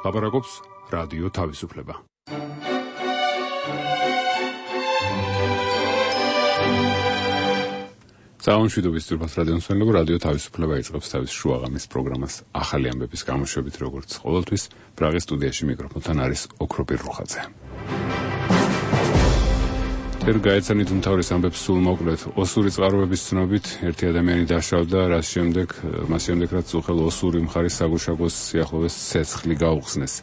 ლაპარაკობს რადიო თავისუფლება. Საუნშვიდობის ძრფას რადიომსმენელებო, რადიო თავისუფლება იწყებს თავის შუაღამის პროგრამას ახალი ამბების გამოშვებით, როგორც ყოველთვის. პრაღის სტუდიაში მიკროფონთან არის ოქროპირ რუხაძე. თერ გაეცანით უმთავრეს ამბებს სულ მოკლედ. ოსური წყაროების ცნობით ერთი ადამიანი დაშავდა, მას შემდეგ რაც უხელ ოსური მხარის საგუშაგოს სიახლოვეს ცეცხლი გაუხსნეს.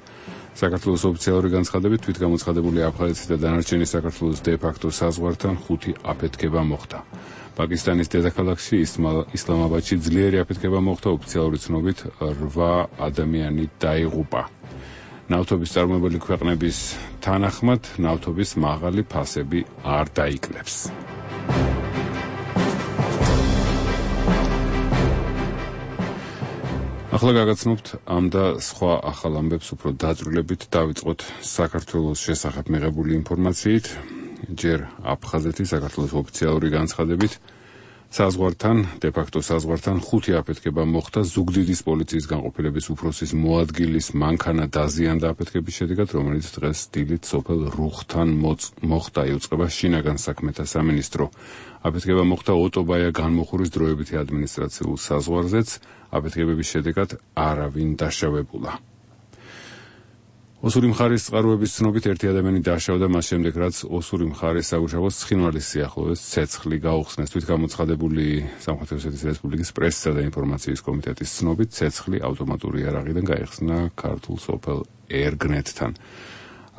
საქართველოს ოფიციალური განცხადებით თვითგამოცხადებული აფხაზეთის და დანარჩენი საქართველოს დე-ფაქტო საზღვართან 5 აფეთქება მოხდა. პაკისტანის დედაქალაქში ისლამაბადში ძლიერი აფეთქება მოხდა, ოფიციალური ცნობით 8 ადამიანი დაიღუპა. ნავთობის წარმოებელი ქვეყნების თანახმად ნავთობის მაღალი ფასები არ დაიკლებს. ახლა გაგაცნობთ ამ და სხვა ახალ ამბებს უფრო დაწვრილებით. დავიწყოთ საქართველოს შესახებ მიღებული ინფორმაციით. ჯერ აფხაზეთის საქართველოს ოფიციალური განცხადებით საზღვართან, დე-ფაქტო საზღვართან 5 აფეთქება მოხდა. ზუგდიდის პოლიციის განყოფილების უფროსის მოადგილის მანქანა დაზიანდა აფეთქების შედეგად, რომელიც დღეს დილით სოფელ რუხთან მოხდა. იუწყება შინაგან საქმეთა სამინისტრო. აფეთქება მოხდა ოტობაია განმოხურის დროებითი ადმინისტრაციულ საზღვარზეც. აფეთქებების შედეგად არავინ დაშავებულა. ოსური მხარის წყაროების ცნობით ერთი ადამიანი დაშავდა, მას შემდეგ რაც ოსური მხარის საგუშაგოს ცხინვალის სიახლოვეს ცეცხლი გაუხსნეს. თვითგამოცხადებული სამხრეთ ოსეთის რესპუბლიკის პრესისა და ინფორმაციის კომიტეტის ცნობით ცეცხლი ავტომატური იარაღიდან გაიხსნა ქართულ სოფელ ერგნეთთან.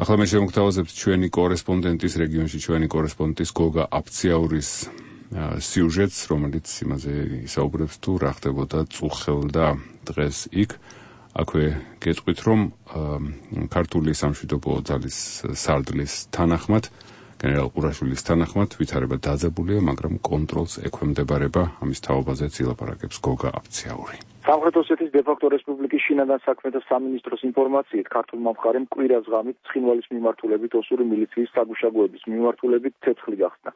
ახლა მე შემოგთავაზებთ ჩვენი კორესპონდენტის რეგიონში ჩვენი კორესპონდენტის გოგა აფციაურის სიუჟეტს, რომელიც იმაზე ისაუბრებს თუ რა ხდებოდა წუხელდა დღეს იქ. აქვე გეტყვით, რომ ქართული სამშვიდობო ძალის სარდლის თანახმად, გენერალ ყურაშვილის თანახმად ვითარება დაძაბულია, მაგრამ კონტროლს ექვემდებარება. ამის თაობაზეც ილაპარაკებს გოგა აფციაური. სამხრეთ ოსეთის დე-ფაქტო რესპუბლიკის შინაგან საქმეთა სამინისტროს ინფორმაციით, ქართულმა მხარემ კვირას ღამით ცხინვალის მიმართულებით ოსური მილიციის საგუშაგოების მიმართულებით ცეცხლი გახსნა.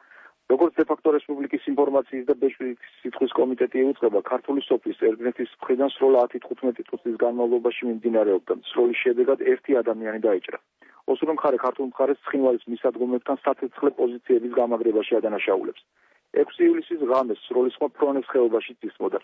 როგორც დე-ფაქტო რესპუბლიკის ინფორმაციის და ბეჭდვის სითხვის კომიტეტი ეუწყება, ქართული სოფლის ერგნეთის მხრიდან სროლა 10-15 წუთის განმავლობაში მიმდინარეობდა. სროლის შედეგად ერთი ადამიანი დაიჭრა. ოსური მხარე ქართულ მხარეს ცხინვალის მისადგომებთან საცეცხლე პოზიციების გამაგრებაში ადანაშაულებს. 6 ივლისის ღამეს სროლის ხმა ფრონეს ხეობაში ისმოდა.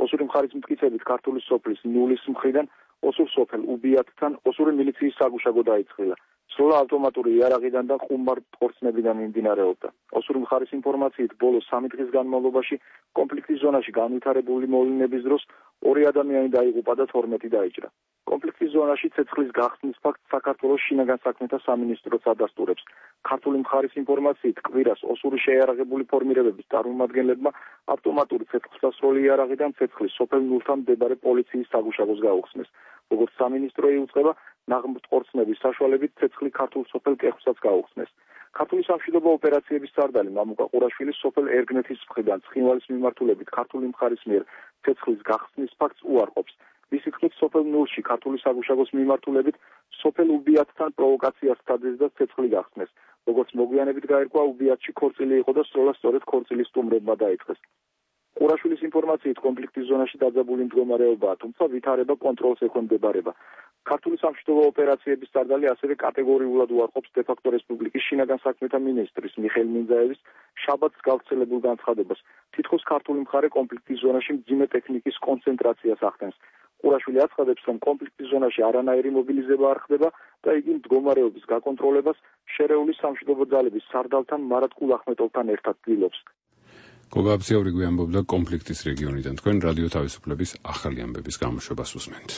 ოსური მხარის მტკიცებით ქართული სოფლის ნულის მხრიდან ოსურ სოფელ უბიათთან ოსური მილიციის საგუშაგო დაიწყრილა. სროლა ავტომატური იარაღიდან და ხუმარ ხორცნებიდან მიმდინარეობდა. ოსური მხარის ინფორმაციით, ბოლო 3 დღის განმავლობაში კონფლიქტის ზონაში განვითარებული მოვლენების დროს 2 ადამიანი დაიღუპა და 12 დაიჭრა. კონფლიქტის ზონაში ცეცხლის გახსნის ფაქტს საქართველოს შინაგან საქმეთა სამინისტროც ადასტურებს. ქართული მხარის ინფორმაციით, კვირას ოსური შეიარაღებული ფორმირებების წარმომადგენლებმა ავტომატური ცეცხლსასროლი იარაღიდან ცეცხლის სოფელ ნულთან მდებარე პოლიციის საგუშაგოს გაუხსნეს. როგორც სამინისტრო იუწყება, ნაღმრთყორცნების საშუალებით ცეცხლი ქართულ სოფელ კეხვსაც გაუხსნეს. ქართული სამშვიდობო ოპერაციების სარდალი მამუკა ყურაშვილი სოფელ ერგნეთის მხრიდან ცხინვალის მიმართულებით ქართული მხარის მიერ ცეცხლის გახსნის ფაქტს უარყოფს. მისი თქმით, სოფელ ნულში ქართული საგუშაგოს მიმართულებით სოფელ უბიათთან პროვოკაციას სცადეს და ცეცხლი გახსნეს. როგორც მოგვიანებით გაირკვა, უბიათში ქორწილი იყო და სროლა სწორედ ქორწილის სტუმრებმა დაიწყეს. ყურაშვილის ინფორმაციით, კონფლიქტის ზონაში დაძაბული მდგომარეობაა, თუმცა ვითარება კონტროლს ექვემდებარება. ქართული სამშვიდობო ოპერაციების სარდალი ასევე კატეგორიულად უარყოფს დე-ფაქტო რესპუბლიკის შინაგან საქმეთა მინისტრის მიხეილ მინძაევის შაბათს გავრცელებულ განცხადებას. თითქოს ქართული მხარე კონფლიქტის ზონაში მძიმე ტექნიკის კონცენტრაციას ახდენს. ყურაშვილი აცხადებს, რომ კონფლიქტის ზონაში არანაირი მობილიზება არ ხდება და იგი მდგომარეობის გაკონტროლებას შერეული სამშვიდობო ძალების სარდალთან მარატკულ ახმეტოვთან ერთად ცდილობს. გოგა აფციაური გვიანბობდა კონფლიქტის რეგიონიდან. თქვენ რადიო თავისუფლების ახალი ამბების გამოშვებას უსმენთ.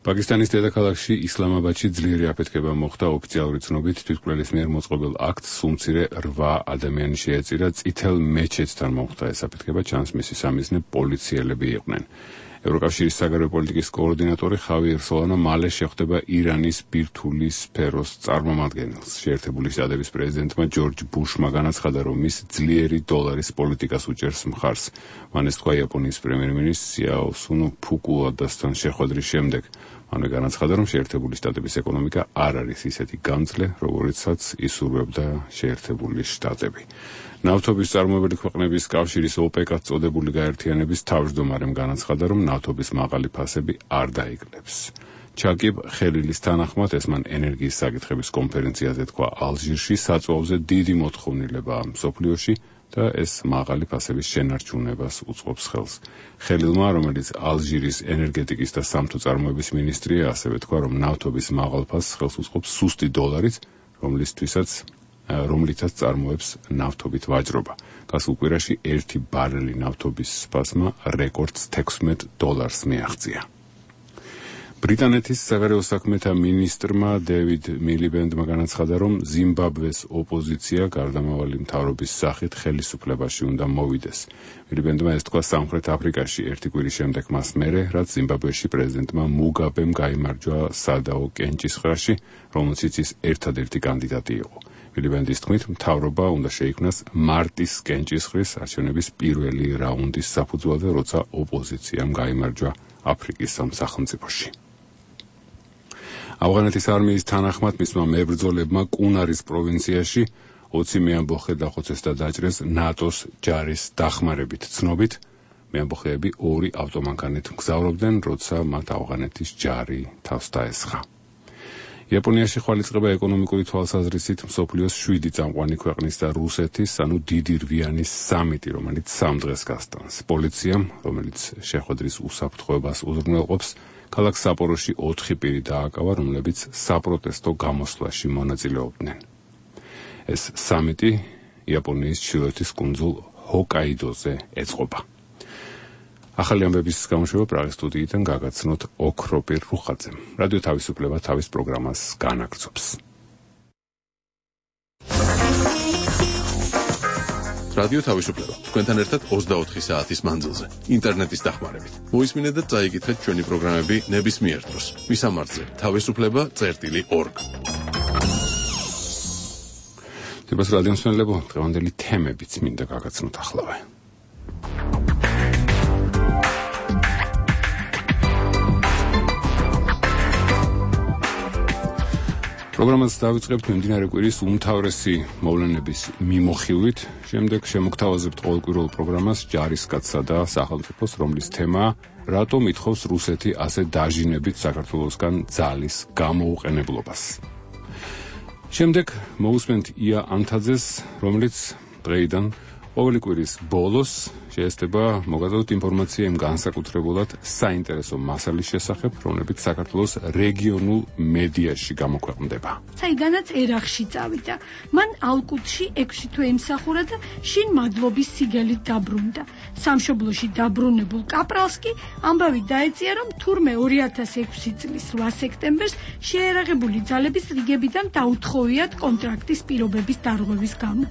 პაკისტანის დედაქალაქში ისლამაბადში ძლიერი აფეთქება მოხდა. ოფიციალური ცნობით თვითმკვლელის მიერ მოწყობილ აქტს სუმცირე 8 ადამიანი შეეწირა. წითელ მეჩეთთან მოხდა ეს აფეთქება, ჩანს მისი სამიზნე პოლიციელები იყვნენ. ევროკავშირის საგარეო პოლიტიკის კოორდინატორი ხავიერ სოლანა მალე შეხვდება ირანის ბირთვული სფეროს წარმომადგენელს. შეერთებული შტატების პრეზიდენტმა ჯორჯ ბუშმა განაცხადა, რომ ის ძლიერი დოლარის პოლიტიკას უჭერს მხარს. მან ეს თქვა იაპონიის პრემიერ-მინისტრ სიაოსუნო ფუკუადასთან შეხვედრის შემდეგ. მანვე განაცხადა, რომ შეერთებული შტატების ეკონომიკა არ არის ისეთი გამძლე, როგორიცაც ისურვებდა შეერთებული შტატები. ნავთობის წარმოებელი ქვეყნების კავშირის OPEC-ად წოდებული გაერთიანების თავმჯდომარემ განაცხადა, რომ ნავთობის მაღალი ფასები არ დაიკლებს. ჩაკიბ ხელილის თანახმად ეს მან ენერგიის საკითხების კონფერენციაზე თქვა ალჟირში, საწვავზე დიდი მოთხოვნილებაა მსოფლიოში და ეს მაღალი ფასების შენარჩუნებას უწყობს ხელს. ხელილმა, რომელიც ალჟირის ენერგეტიკის და სამთო წარმოების მინისტრია, ასევე თქვა, რომ ნავთობის მაღალ ფასს ხელს უწყობს სუსტი დოლარიც, რომლითაც წარმოებს ნავთობით ვაჭრობა. გასულ კვირაში 1 ბარელი ნავთობის ფასმა რეკორდს $16 მიაღწია. ბრიტანეთის საგარეო საქმეთა მინისტრმა დევიდ მილიბენდმა განაცხადა, რომ ზიმბაბვეს ოპოზიცია გარდამავალი მთავრობის სახით ხელისუფლებაში უნდა მოვიდეს. მილიბენდმა ეს თქვა სამხრეთ აფრიკაში 1 კვირის შემდეგ მას მერე, რაც ზიმბაბვეში პრეზიდენტმა მუგაბემ გაიმარჯვა სადაო კენჭისყრაში, რომელშიც ის ერთადერთი კანდიდატი იყო. მილიბენდის თქმით, მთავრობა უნდა შეიქმნას მარტის კენჭისყრის არჩევნების პირველი რაუნდის საფუძველზე, როცა ოპოზიციამ გაიმარჯვა აფრიკის სახელმწიფოში. ავღანეთის არმიის თანახმად მისმა მებრძოლებმა კუნარის პროვინციაში 20 მეამბოხე დახოცეს და დაჭრეს ნატოს ჯარის დახმარებით. ცნობით, მეამბოხეები 2 ავტომანქანით მგზავრობდნენ, როცა მათ ავღანეთის ჯარი თავს დაესხა. იაპონიაში ხვალიწყება ეკონომიკური თვალსაზრისით მსოფლიოს 7 წამყვანი ქვეყნის და რუსეთის, ანუ დიდი რვიანის სამიტი, რომელიც 3 დღეს გასტანს. პოლიციამ, რომელიც შეხვედრის უსაფრთხოებას უზრუნველყოფს, ქალაქ საპოროში 4 პირი დააკავა, რომლებიც საპროტესტო გამოსვლაში მონაწილეობდნენ. ეს სამიტი იაპონიის ჩრდილოეთის კუნძულ ჰოკაიდოზე ეწყობა. ახალი ამბების გამოშვება პრაღის სტუდიიდან გაგაცნოთ ოქროპირ რუხაძემ. რადიო თავისუფლება თავის პროგრამას განაგრძობს. რადიო თავისუფლება თქვენთან ერთად 24 საათის მანძილზე ინტერნეტის დახმარებით. მოისმინეთ და წაიკითხეთ ჩვენი პროგრამები ნებისმიერ დროს. მისამართზე თავისუფლება.org. დებას რადიო მსმენელებო, დღევანდელი თემებიც მინდა გაგაცნოთ ახლავე. პროგრამას დავიწყებთ მიმდინარე კვირის უმთავრესი მოვლენების მიმოხილვით, შემდეგ შემოგთავაზებთ ყოველკვირეულ პროგრამას ჯარისკაცსა და სახელმწიფოს, რომლის თემაა რატომ ითხოვს რუსეთი ასე დაჟინებით საქართველოსგან ძალის გამოუყენებლობას. შემდეგ მოусმენთ ია ანთაძეს, რომელიც დღეიდან ყოველი კვირის ბოლოს შეესწება მოგაწოდოთ ინფორმაცია იმ განსაკუთრებულად საინტერესო მასალის შესახებ, რომლებიც საქართველოს რეგიონულ მედიაში გამოქვეყნდება. საიდანაც ერახში წავიდა. მან ალკუტში 6 თვე იმსახურა და შინ მადლობის სიგელით დაბრუნდა. სამშობლოში დაბრუნებულ კაპრალს კი ამბავი დაეწია, რომ თურმე 2006 წლის 8 სექტემბერს შეერაღებული ძალების რიგებიდან დაუთხოვიათ კონტრაქტის პირობების დარღვევის გამო.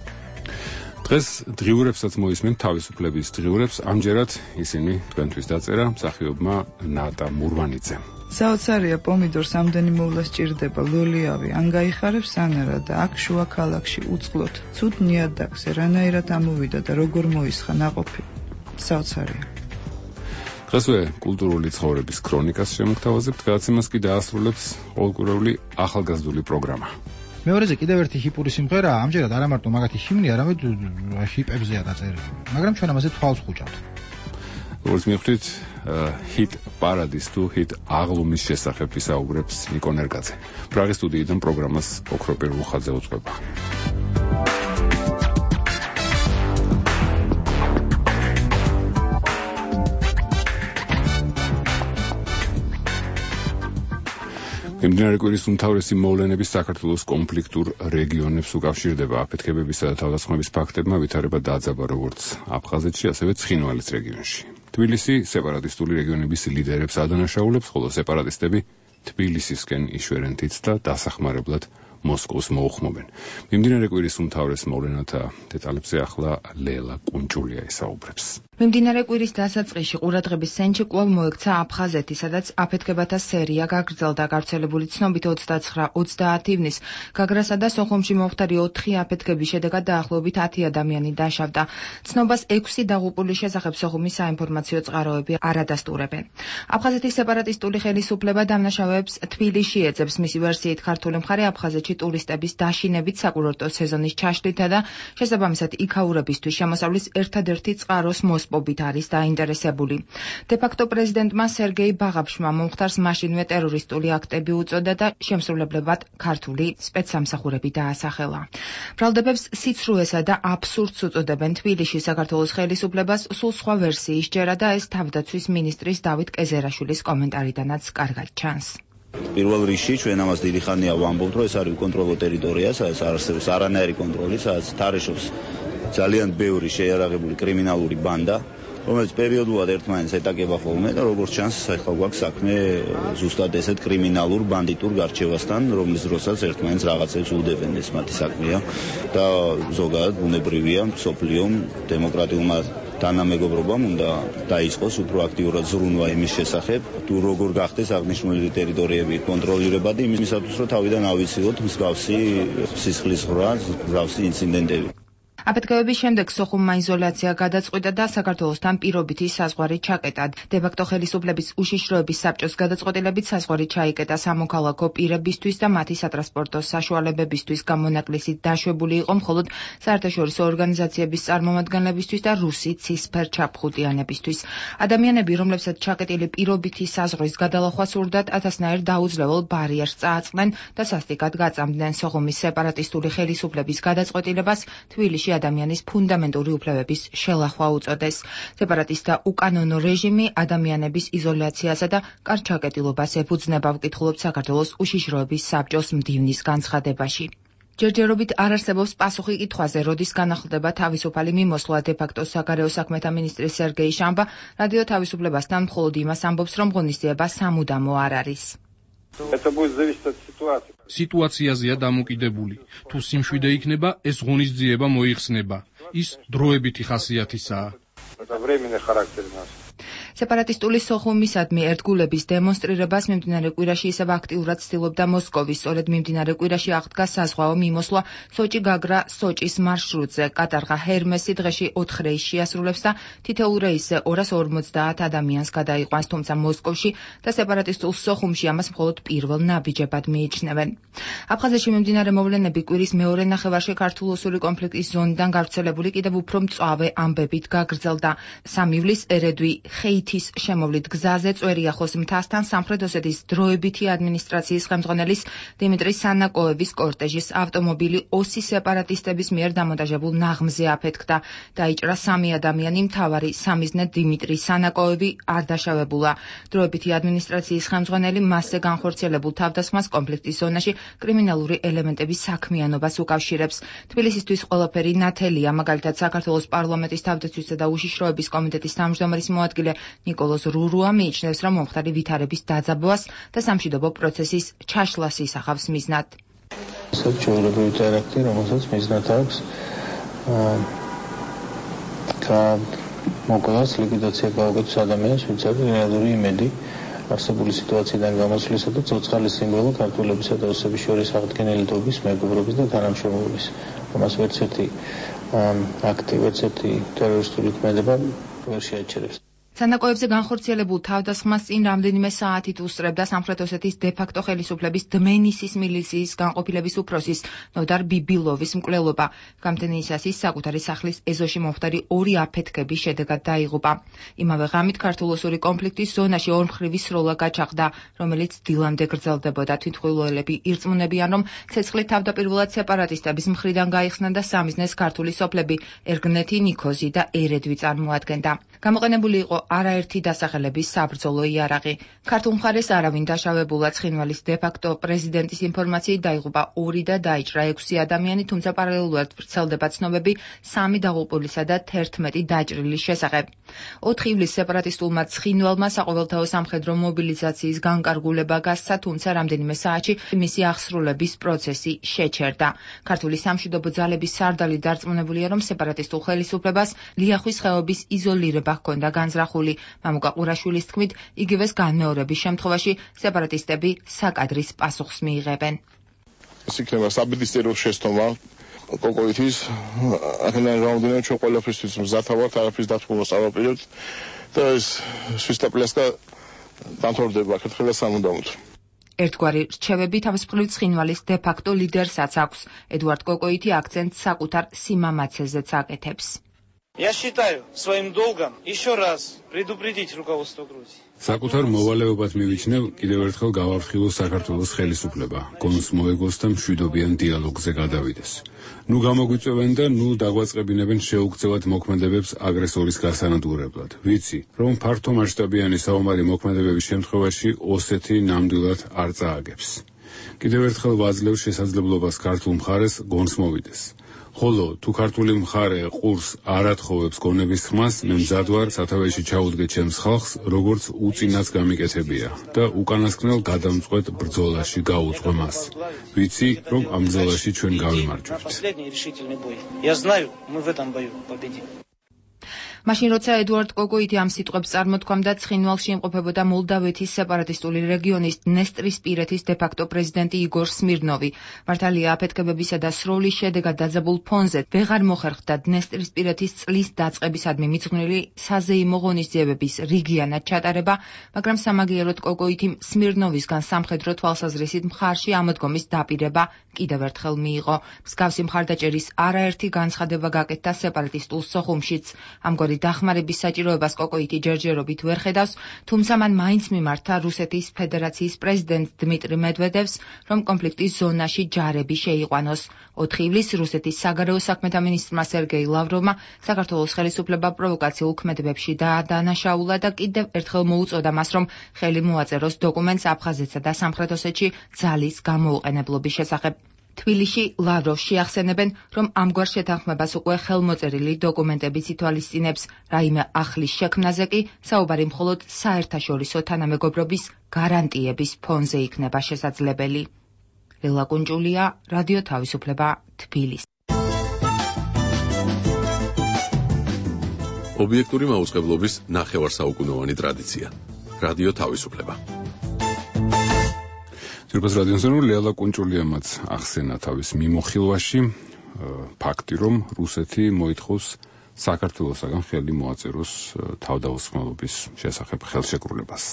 დღეს დღიურებსაც მოისმენთ თავისუფლების დღიურებს, ამჯერად ისინი თქვენთვის დაწერა მსახიობმა ნატა მურვანიძემ. საოცარია პომიდორს ამდენი მოვლა სჭირდება, ლოლიავი, ან გაიხარებს ანარა და აქ შუა ქალაქში უწყლოთ. ცუდ ნიადაგზე რანაირად ამოვიდა და როგორ მოისხა ნაყოფი. საოცარია. დღესვე კულტურული ცხოვრების ქრონიკას შემოგთავაზებთ, გადაცემას კი დაასრულებს ყოველკვირეული ახალგაზრდული პროგრამა. მეორეზე კიდევ ერთი ჰიპური სიმღერაა, ამჯერად არა მარტო მაგათი ჰიმნი, არამედ ჰიპებზეა დაწერილი. მაგრამ ჩვენ ამაზე თვალს ხუჭავთ. როგორც მიხვდით, ჰიტ პარადის თუ ჰიტ აღლუმის შესახებ ვისაუბრებს ნიკო ნერგაძე. პრაღის სტუდიიდან პროგრამას ოქროპირ რუხაძე უძღვება. მიმდინარე კვირის უმთავრესი მოვლენების საქართველოს კონფლიქტურ რეგიონებს უკავშირდება. აფეთქებებისა და თავდასხმების ფაქტებმა ვითარება დააძაბა როგორც აფხაზეთში, ასევე ცხინვალის რეგიონში. თბილისი სეპარატისტული რეგიონების ლიდერებს ადანაშაულებს, ხოლო სეპარატისტები თბილისისკენ იშვერენ თითს და დასახმარებლად მოსკოვს მოუხმობენ. მიმდინარე კვირის უმთავრეს მოვლენათა დეტალებზე ახლა ლელა კუნჭულია ისაუბრებს. მიმდინარე კვირის დასაწყისში ყურადღების ცენტრში კვლავ მოექცა აფხაზეთი, სადაც აფეთქებათა სერია გაგრძელდა. გავრცელებული ცნობით 29-30 ივნისს გაგრასა და სოხუმში მომხდარი 4 აფეთქების შედეგად დაახლოებით 10 ადამიანი დაშავდა. ცნობას 6 დაღუპულის შესახებ სოხუმის საინფორმაციო წყაროები არ ადასტურებენ. აფხაზეთის სეპარატისტული ხელისუფლება დამნაშავეებს თბილისში ეძებს. მისი ვერსიით ქართული მხარე აფხაზეთში ტურისტების დაშინებით, საკურორტო სეზონის ჩაშლითა და შესაბამისად იქაურებისთვის შემოსავლის ერთადერთი წყაროს მოსპობით არის დაინტერესებული. დე-ფაქტო პრეზიდენტმა სერგეი ბაღაფშმა მომხდარს მაშინვე ტერორისტული აქტები უწოდა და შემსრულებლებად ქართული სპეცსამსახურები დაასახელა. ბრალდებებს სიცრუესა და აბსურდს უწოდებენ. თბილისში საქართველოს ხელისუფლებას სულ სხვა ვერსიის ჯერა და ეს თავდაცვის მინისტრის დავით კეზერაშვილის კომენტარიდანაც კარგად ჩანს. პირველ რიგში ჩვენ ამას დიდი ხანია ვამბობთ, რომ ეს არის უკონტროლო ტერიტორია, სადაც არ არსებობს არანაირი კონტროლი, სადაც თარეშობს ძალიან ბევრი შეიარაღებული კრიმინალური ბანდა, რომელიც პერიოდულად ერთმანეთს ეტაკება ხოლმე და როგორც ჩანს, ახლა გვაქვს საქმე ზუსტად ესეთ კრიმინალურ ბანდიტურ გარჩევასთან, რომლის დროსაც ერთმანეთს რაღაცებს უდებენ, ეს მათი საქმეა და ზოგადად ბუნებრივია მსოფლიომ დემოკრატიულმა თანამეგობრობამ უნდა დაიწყოს უფრო აქტიურად ზრუნვა იმის შესახებ, თუ როგორ გახდეს აღნიშნული ტერიტორიები კონტროლირებადი, იმისათვის რომ თავიდან ავიცილოთ მსგავსი სისხლის ხრა, მსგავსი ინციდენტები. აფეთქებების შემდეგ სოხუმმა იზოლაცია გადაწყვიტა და საქართველოსთან პირობითი საზღვარი ჩაკეტა. დე-ფაქტო ხელისუფლების უშიშროების საბჭოს გადაწყვეტილებით საზღვარი ჩაიკეტა სამოქალაქო პირებისთვის და მათი სატრანსპორტო საშუალებებისთვის გამონაკლისით დაშვებული იყო მხოლოდ საერთაშორისო ორგანიზაციების წარმომადგენლებისთვის და რუსი ცისფერჩაფხუტიანებისთვის. ადამიანები, რომლებსაც ჩაკეტილი პირობითი საზღვრის გადალახვა სურდათ, ათასნაირ დაუძლებელ ბარიერს წააწყდნენ და სასტიკად გაწამდნენ. სოხუმის სეპარატისტული ხელისუფლების გადაწყვეტილებას თბილისში ადამიანის ფუნდამენტური უფლებების შელახვა უწოდეს. სეპარატისტთა უკანონო რეჟიმი ადამიანების იზოლაციასა და კარჩაკეტილობას ეფუძნება, ვკითხულობთ საქართველოს უშიშროების საბჭოს მდივნის განცხადებაში. ჯერჯერობით არ არსებობს პასუხი კითხვაზე, როდის განახლდება თავისუფალი მიმოსვლა. დე-ფაქტო საგარეო საქმეთა მინისტრი სერგეი შამბა რადიო თავისუფლებასთან მხოლოდ იმას ამბობს, რომ ღონისძიება სამუდამო არ არის. სიტუაციაზეა დამოკიდებული. თუ სიმშვიდე იქნება, ეს ღონისძიება მოიხსნება. ის დროებითი ხასიათისაა. სეპარატისტული სოხუმისადმი ერთგულების დემონსტრირებას მიმდინარე კვირაში ისევ აქტიურად ცდილობდა მოსკოვი. სწორედ მიმდინარე კვირაში აღდგა საზღვაო მიმოსვლა სოჭი-გაგრა სოჭის მარშრუტზე. კატარღა ჰერმესი დღეში 4 რეისს შეასრულებს და თითოეულ რეისზე 250 ადამიანს გადაიყვანს, თუმცა მოსკოვში და სეპარატისტულ სოხუმში ამას მხოლოდ პირველ ნაბიჯებად მიიჩნევენ. აფხაზეთში მიმდინარე მოვლენები კვირის მეორე ნახევარში ქართულ-ოსური კონფლიქტის ზონიდან გავრცელებული კიდევ უფრო მწვავე ამბებით გაგრძელდა. 3 ივლისს ერედვი ხეითის შემოვლით გზაზე წვერიახოს მთასთან სამხრეთ ოსეთის დროებითი ადმინისტრაციის ხელმძღვანელის დიმიტრი სანაკოევის კორტეჟის ავტომობილი ოსი სეპარატისტების მიერ დამონტაჟებულ ნაღმზე აფეთქდა. დაიჭრა 3 ადამიანი, მთავარი სამიზნე დიმიტრი სანაკოევი არ დაშავებულა. დროებითი ადმინისტრაციის ხელმძღვანელი მასზე განხორციელებულ თავდასხმას კონფლიქტის ზონაში კრიმინალური ელემენტების საქმიანობას უკავშირებს. თბილისისთვის ყველაფერი ნათელია, მაგალითად საქართველოს პარლამენტის თავდაცვისა და უშიშროების კომიტეტის თავმჯდომარის მოადგილე ნიკოლოზ რურუა მიიჩნევს, რომ მომხდარი ვითარების დაძაბვას და სამშვიდობო პროცესის ჩაშლას ისახავს მიზნად. საჩუქრებრივი ტერაქტი, რომელსაც მიზნად აქვს მოკვლას ლიკვიდაცია გაუკეთოს ადამიანს, ვინც აქვს რეალური იმედი არსებული სიტუაციიდან გამოსვლისა და ცოცხალის სიმბოლო ქართველებისა და ოსების შორის აღდგენილობის, მეგობრობის და თანამშრომლობის. ამას ვერც ერთი აქტი, ვერც ერთი ტერორისტული ქმედება ვერ შეაჩერებს. სანაკოებზე განხორციელებულ თავდასხმას წინ რამდენიმე საათით უსწრებდა სამხრეთ ოსეთის დე-ფაქტო ხელისუფლების დმენისის მილიციის განყოფილების უფროსის ნოდარ ბიბილოვის მკვლელობა. გამთენისასის საკუთარი სახლის ეზოში მომხდარი 2 აფეთქების შედეგად დაიღუპა. იმავე ღამით ქართულ-ოსური კონფლიქტის ზონაში ორმხრივი სროლა გაჩაღდა, რომელიც დილამდე გრძელდებოდა. თვითმხილველები ირწმუნებიან, რომ ცეცხლი თავდაპირველად სეპარატისტების მხრიდან გაიხსნა და სამიზნეს ქართული სოფლები ერგნეთი, ნიქოზი და ერედვი წარმოადგენდა. გამოყენებული იყო არაერთი დასახელების საბრძოლო იარაღი. ქართულ მხარეს არავინ დაშავებულა. ცხინვალის დე-ფაქტო პრეზიდენტის ინფორმაციით დაიღუპა 2 და დაიჭრა 6 ადამიანი, თუმცა პარალელურად ვრცელდება ცნობები 3 დაღუპულისა და 11 დაჭრილის შესახებ. 4 ივლისს სეპარატისტულმა ცხინვალმა საყოველთაო სამხედრო მობილიზაციის განკარგულება გასცა, თუმცა რამდენიმე საათში მისი აღსრულების პროცესი შეჩერდა. ქართული სამშვიდობო ძალების სარდალი დარწმუნებულია, რომ სეპარატისტულ ხელისუფლებას ლიახვის ხეობის იზოლირება ჰქონდა განზრახული. მამუკა ყურაშვილის თქმით, იგივეს განმეორების შემთხვევაში სეპარატისტები საკადრის პასუხს მიიღებენ. ეს იქნება საბედისწერო შეცდომა კოკოითის ახლა რაუნდიდან ჩვენ ყველაფრისთვის მზათა ვართ, არაფრის დათმობას არ ვაპირებთ და ეს სვისტაპლესკა დამთავრდება ქეთქელა სამუდამოდ. ერთგვარი რჩევები თავისუფლი ცხინვალის დე-ფაქტო ლიდერსაც აქვს. ედუარდ კოკოითი აქცენტს საკუთარ სიმამაცეზეც აკეთებს. Я считаю своим долгом еще раз предупредить руководство Грузии. საკუთარ მოვალეობად მივიჩნევ კიდევ ერთხელ გავარხილოს საქართველოს ხელისუფლება, გონს მოეგოს და მშვიდობიან დიალოგზე გადავიდეს. ნუ გამოგვიწევენ და ნუ დაგვაწყებინებენ შეუქცევად მოქმედებებს აგრესორის გასანადგურებლად. ვიცი, რომ ფართო მასშტაბიანი საომარი მოქმედებების შემთხვევაში ოსეთი ნამდვილად არ წააგებს. კიდევ ერთხელ ვაძლევ შესაძლებლობას ქართულ მხარეს გონს მოვიდეს. ხოლო თუ ქართული მხარე ყურს არ ათხოვებს გონების ხმას, მე მზად ვარ სათავეში ჩაუდგე ჩემს ხალხს, როგორც უწინაც გამიკეთებია და უკანასკნელ გადამწყვეტ ბრძოლაში გაუძღვე მას. ვიცი, რომ ამ ბრძოლაში ჩვენ გავიმარჯვებთ. მაშინ როცა ედუარდ კოკოითი ამ სიტყვებს წარმოთქვამდა, ცხინვალში იმყოფებოდა მოლდავეთის სეპარატისტული რეგიონის დნესტრისპირეთის დე-ფაქტო პრეზიდენტი იგორ სმირნოვი. მართალია აფეთქებებისა და სროლის შედეგად დაძაბულ ფონზე ვეღარ მოხერხდა დნესტრისპირეთის წლის დაწყებისადმი მიძღვნილი საზეიმო ღონისძიებების რიგიანად ჩატარება, მაგრამ სამაგიეროდ კოკოითიმ სმირნოვისგან სამხედრო თვალსაზრისით მხარში ამოდგომის დაპირება კიდევ ერთხელ მიიღო. მსგავსი მხარდაჭერის არაერთი განცხადება გაკეთდა სეპარატისტულ სოხუმშიც. ამგვარი დახმარების საჭიროებას კოკოითი ჯერჯერობით ვერ ხედავს, თუმცა მან მაინც მიმართა რუსეთის ფედერაციის პრეზიდენტ დმიტრი მედვედევს, რომ კონფლიქტის ზონაში ჯარები შეიყვანოს. 4 ივლისს რუსეთის საგარეო საქმეთა მინისტრმა სერგეი ლავროვმა საქართველოს ხელისუფლება პროვოკაციულ ქმედებებში დაადანაშაულა და კიდევ ერთხელ მოუწოდა მას, რომ ხელი მოაწეროს დოკუმენტს აფხაზეთსა და სამხრეთ ოსეთში ძალის გამოუყენებლობის შესახებ. თბილისში ლავროვს შეახსენებენ, რომ ამგვარ შეთანხმებას უკვე ხელმოწერილი დოკუმენტებიც ითვალისწინებს. რაიმე ახლის შექმნაზე კი საუბარი მხოლოდ საერთაშორისო თანამეგობრობის გარანტიების ფონზე იქნება შესაძლებელი. ლილა კუნჭულია, რადიო თავისუფლება, თბილისი. ობიექტური მაუწყებლობის ნახევარსაუკუნოვანი ტრადიცია. რადიო თავისუფლება. ძირფას რადიოსანურ ლელა კუნჭულიამაც ახსენა თავის მიმოხილვაში ფაქტი, რომ რუსეთი მოითხოვს საქართველოსაგან ხელი მოაწეროს თავდაუსხმელობის შესახებ ხელშეკრულებას.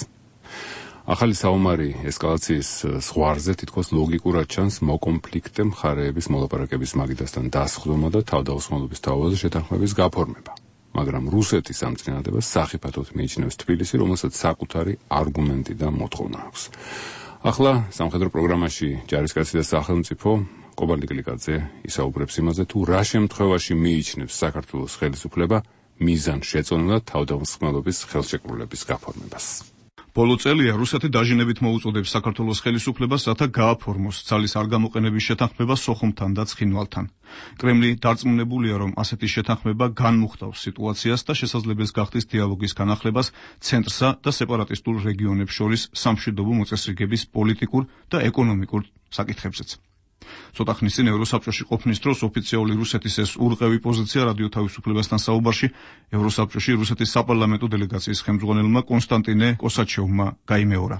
ახალი საომარი ესკალაციის ზღვარზე თითქოს ლოგიკურად ჩანს მოკონფლიქტე მხარეების მოლაპარაკების მაგიდასთან დასხდომა და თავდაუსხმელობის თავაზე შეთანხმების გაფორმება. მაგრამ რუსეთის ამ წინადადებას სახიფათოდ მიიჩნევს თბილისი, რომელსაც საკუთარი არგუმენტი და მოთხოვნა აქვს. ახლა სამხედრო პროგრამაში ჯარისკაცი და სახელმწიფო კობალდი კლიკაძე ისაუბრებს იმაზე, თუ რა შემთხვევაში მიიჩნევს საქართველოს ხელისუფლება მიზანშეწონილად თავდაუსხმელობის ხელშეკრულების გაფორმებას. ბოლო წელია რუსეთი დაჟინებით მოუწოდებს საქართველოს ხელისუფლებას, რათა გააფორმოს ძალის არ გამოყენების შეთანხმება სოხუმთან და ცხინვალთან. კრემლი დარწმუნებულია, რომ ასეთი შეთანხმება განმუხტავს სიტუაციას და შესაძლებელი გახდის დიალოგის განახლებას ცენტრსა და სეპარატისტულ რეგიონებს შორის სამშვიდობო მოწესრიგების პოლიტიკურ და ეკონომიკურ საკითხებზეც. ცოტა ხნის წინ ევროსაბჭოში ყოფნის დროს ოფიციალური რუსეთის ეს ურყევი პოზიცია რადიო თავისუფლებასთან საუბარში ევროსაბჭოში რუსეთის საპარლამენტო დელეგაციის ხელმძღვანელმა კონსტანტინე კოსაჩევმა გაიმეორა.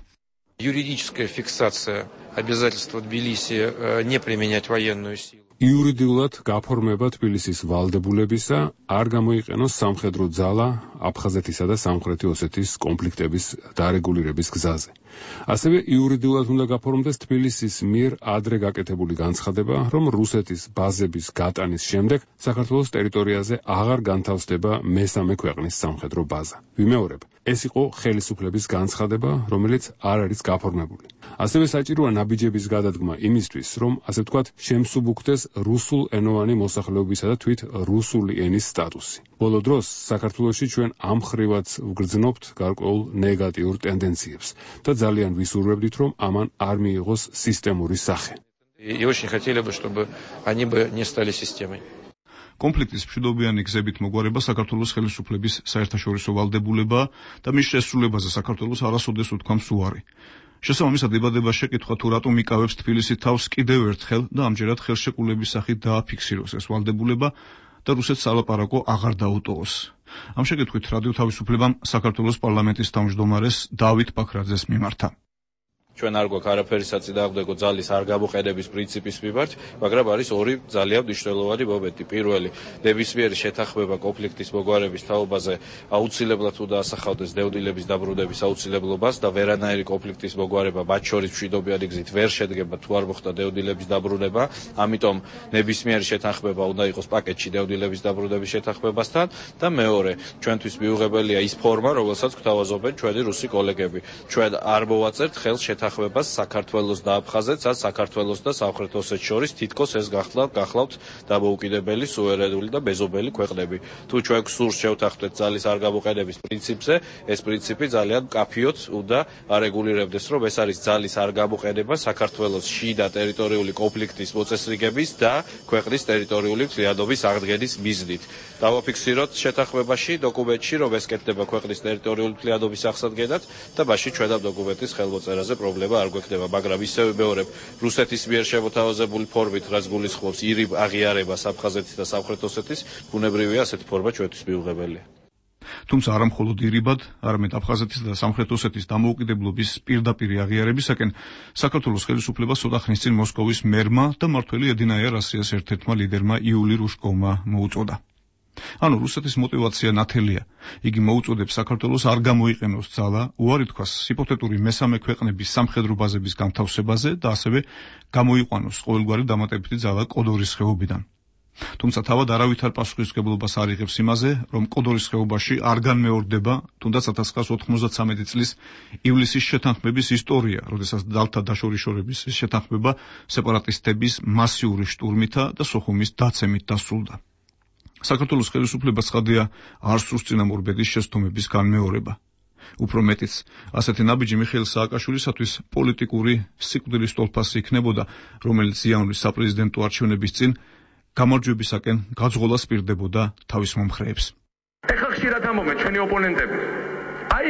Юридическая фиксация обязательства Тбилиси не применять военную силу. იურიდიულად გაფორმება თბილისის ვალდებულებისა არ გამოიყენოს სამხედრო ძალა აფხაზეთისა და სამხრეთი ოსეთის კონფლიქტების დარეგულირების გზაზე. ასევე იურიდიულად უნდა გაფორმდეს თბილისის მიერ ადრე გაკეთებული განცხადება, რომ რუსეთის ბაზების გატანის შემდეგ საქართველოს ტერიტორიაზე აღარ განთავსდება მესამე ქვეყნის სამხედრო ბაზა. ვიმეორებ, ეს იყო ხელისუფლების განცხადება, რომელიც არ არის გაფორმებული. ასევე საჭიროა ნაბიჯების გადადგმა იმისთვის, რომ ასე ვთქვათ, შემსუბუქდეს რუსულ ენოვანი მოსახლეობისა და თვით რუსული ენის სტატუსი. ბოლო დროს საქართველოში ჩვენ ამ ხრივაც ვგრძნობთ გარკვეულ ნეგატიურ ტენდენციებს და ძალიან ვისურვებდით, რომ ამან არ მიიღოს სისტემური სახე. И очень хотели бы, чтобы они бы не стали системой. კონფლიქტის მშვიდობიანი გზებით მოგვარება საქართველოს ხელისუფლების საერთაშორისო ვალდებულებაა და მის შესრულებაზე საქართველოს არასოდეს უთქვამს უარი. შესაბამისად იბადება შეკითხვა თუ რატომ იკავებს თბილისი თავს კიდევ ერთხელ და ამჯერად ხელშეკრულების სახით დააფიქსიროს ეს ვალდებულება და რუსეთს ალაპარაკო აღარ დაუტოვოს. ამ შეკითხვით რადიო თავისუფლებამ საქართველოს პარლამენტის თავმჯდომარეს დავით ბაქრაძეს მიმართა. ჩვენ არ გვაქვს არაფერი საწინააღმდეგო ძალის არ გამოყენების პრინციპის მიმართ, მაგრამ არის ორი ძალიან მნიშვნელოვანი მომენტი. პირველი, ნებისმიერი შეთანხმება კონფლიქტის მოგვარების თაობაზე აუცილებლად უნდა ასახავდეს დევნილების დაბრუნების აუცილებლობას და ვერანაირი კონფლიქტის მოგვარება მათ შორის მშვიდობიანი გზით ვერ შედგება თუ არ მოხდა დევნილების დაბრუნება. ამიტომ ნებისმიერი შეთანხმება უნდა იყოს პაკეტში დევნილების დაბრუნების შეთანხმებასთან და მეორე, ჩვენთვის მიუღებელია ის ფორმა, რომელსაც გვთავაზობენ ჩვენი რუსი კოლეგები. ჩვენ არ მოვაწერთ ხელს შეთანხმებას საქართველოს და აფხაზეთს, ან საქართველოს და სამხრეთ ოსეთს შორის თითქოს ეს გახლავთ დამოუკიდებელი, სუვერენული და მეზობელი ქვეყნები. თუ ჩვენ გსურს შევთანხმდეთ ძალის არ გამოყენების პრინციპზე, ეს პრინციპი ძალიან მკაფიოდ უნდა არეგულირებდეს, რომ ეს არის ძალის არ გამოყენება საქართველოს შიდა ტერიტორიული კონფლიქტის მოწესრიგების და ქვეყნის ტერიტორიული მთლიანობის აღდგენის მიზნით. დავაფიქსიროთ შეთანხმებაში, დოკუმენტში, რომ ეს კეთდება ქვეყნის ტერიტორიული მთლიანობის აღსადგენად და მაშინ ჩვენ ამ დოკუმენტის ხელმოწერაზე პრობლემა არ გვექნება, მაგრამ ისევე მეორებ რუსეთის მიერ შემოთავაზებული ფორმით, რაც გულისხმობს ირიბ აღიარებას აფხაზეთის და სამხრეთ ოსეთის, ბუნებრივია ასეთი ფორმა ჩვენთვის მიუღებელია. თუმცა არა მხოლოდ ირიბად, არამედ აფხაზეთის და სამხრეთ ოსეთის დამოუკიდებლობის პირდაპირი აღიარებისაკენ საქართველოს ხელისუფლებას ცოტა ხნის წინ მოსკოვის მერმა და მმართველი ედინაია რასიას ერთ-ერთმა ლიდერმა იული რუშკოვმა მოუწოდა. ანუ რუსეთის мотивация ნათელია. იგი მოუწოდებს საქართველოს არ გამოიყენოს ძალა, უარი თქვას ჰიპოთეტური მესამე ქვეყნების სამხედრო ბაზების განთავსებაზე და ასევე გამოიყვანოს ყოველგვარი დამატებითი ძალა კოდორის ხეობიდან. თუმცა თავად არავითარ პასუხისმგებლობას არ იღებს იმაზე, რომ კოდორის ხეობაში არ განმეორდება თუნდაც 1993 წლის ივლისის შეთანხმების ისტორია, როდესაც ძალთა დაშორიშორების შეთანხმება სეპარატისტების მასიური შტურმითა და სოხუმის დაცემით დასრულდა. საქართველოს ხელისუფლებას ხადია არ სურს წინამორბედის შეცდომების განმეორება. უფრო მეტიც, ასეთი ნაბიჯი მიხეილ სააკაშვილისათვის პოლიტიკური სიკვდილის ტოლფასი იქნებოდა, რომელიც იანვრის საპრეზიდენტო არჩევნების წინ გამარჯვებისაკენ გაძღოლას პირდებოდა თავის მომხრეებს. ეხლა ხშირად ამბობენ ჩვენი ოპონენტები. აი,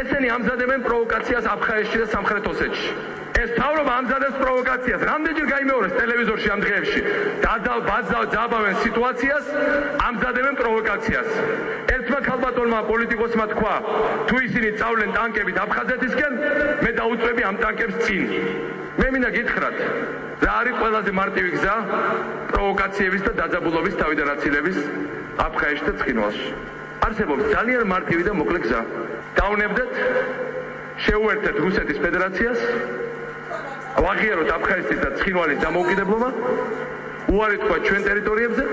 ესენი ამზადებენ პროვოკაციას აფხაზეთში და სამხრეთ ოსეთში. ეს თავრობა ამზადებს პროვოკაციას. რამდენჯერ გაიმეორეს ტელევიზორში ამ დღეებში. დაძაბავენ სიტუაციას, ამზადებენ პროვოკაციას. ერთმა ქალბატონმა პოლიტიკოსმა თქვა, თუ ისინი წავლენ ტანკებით აფხაზეთისკენ, მე დაუწვევი ამ ტანკებს წინ. მე მინდა გითხრათ, რა არის ყველაზე მარტივი გზა პროვოკაციების და დაძაბულობის თავიდან აცილების აფხაზეთში და ცხინვალში. არსებობს ძალიან მარტივი და მოკლე გზა. დავნებდეთ, შეუერთეთ რუსეთის ფედერაციას, ვაღიაროთ აფხაზეთის და ცხინვალის დამოუკიდებლობა, უარი თქვა ჩვენ ტერიტორიებზე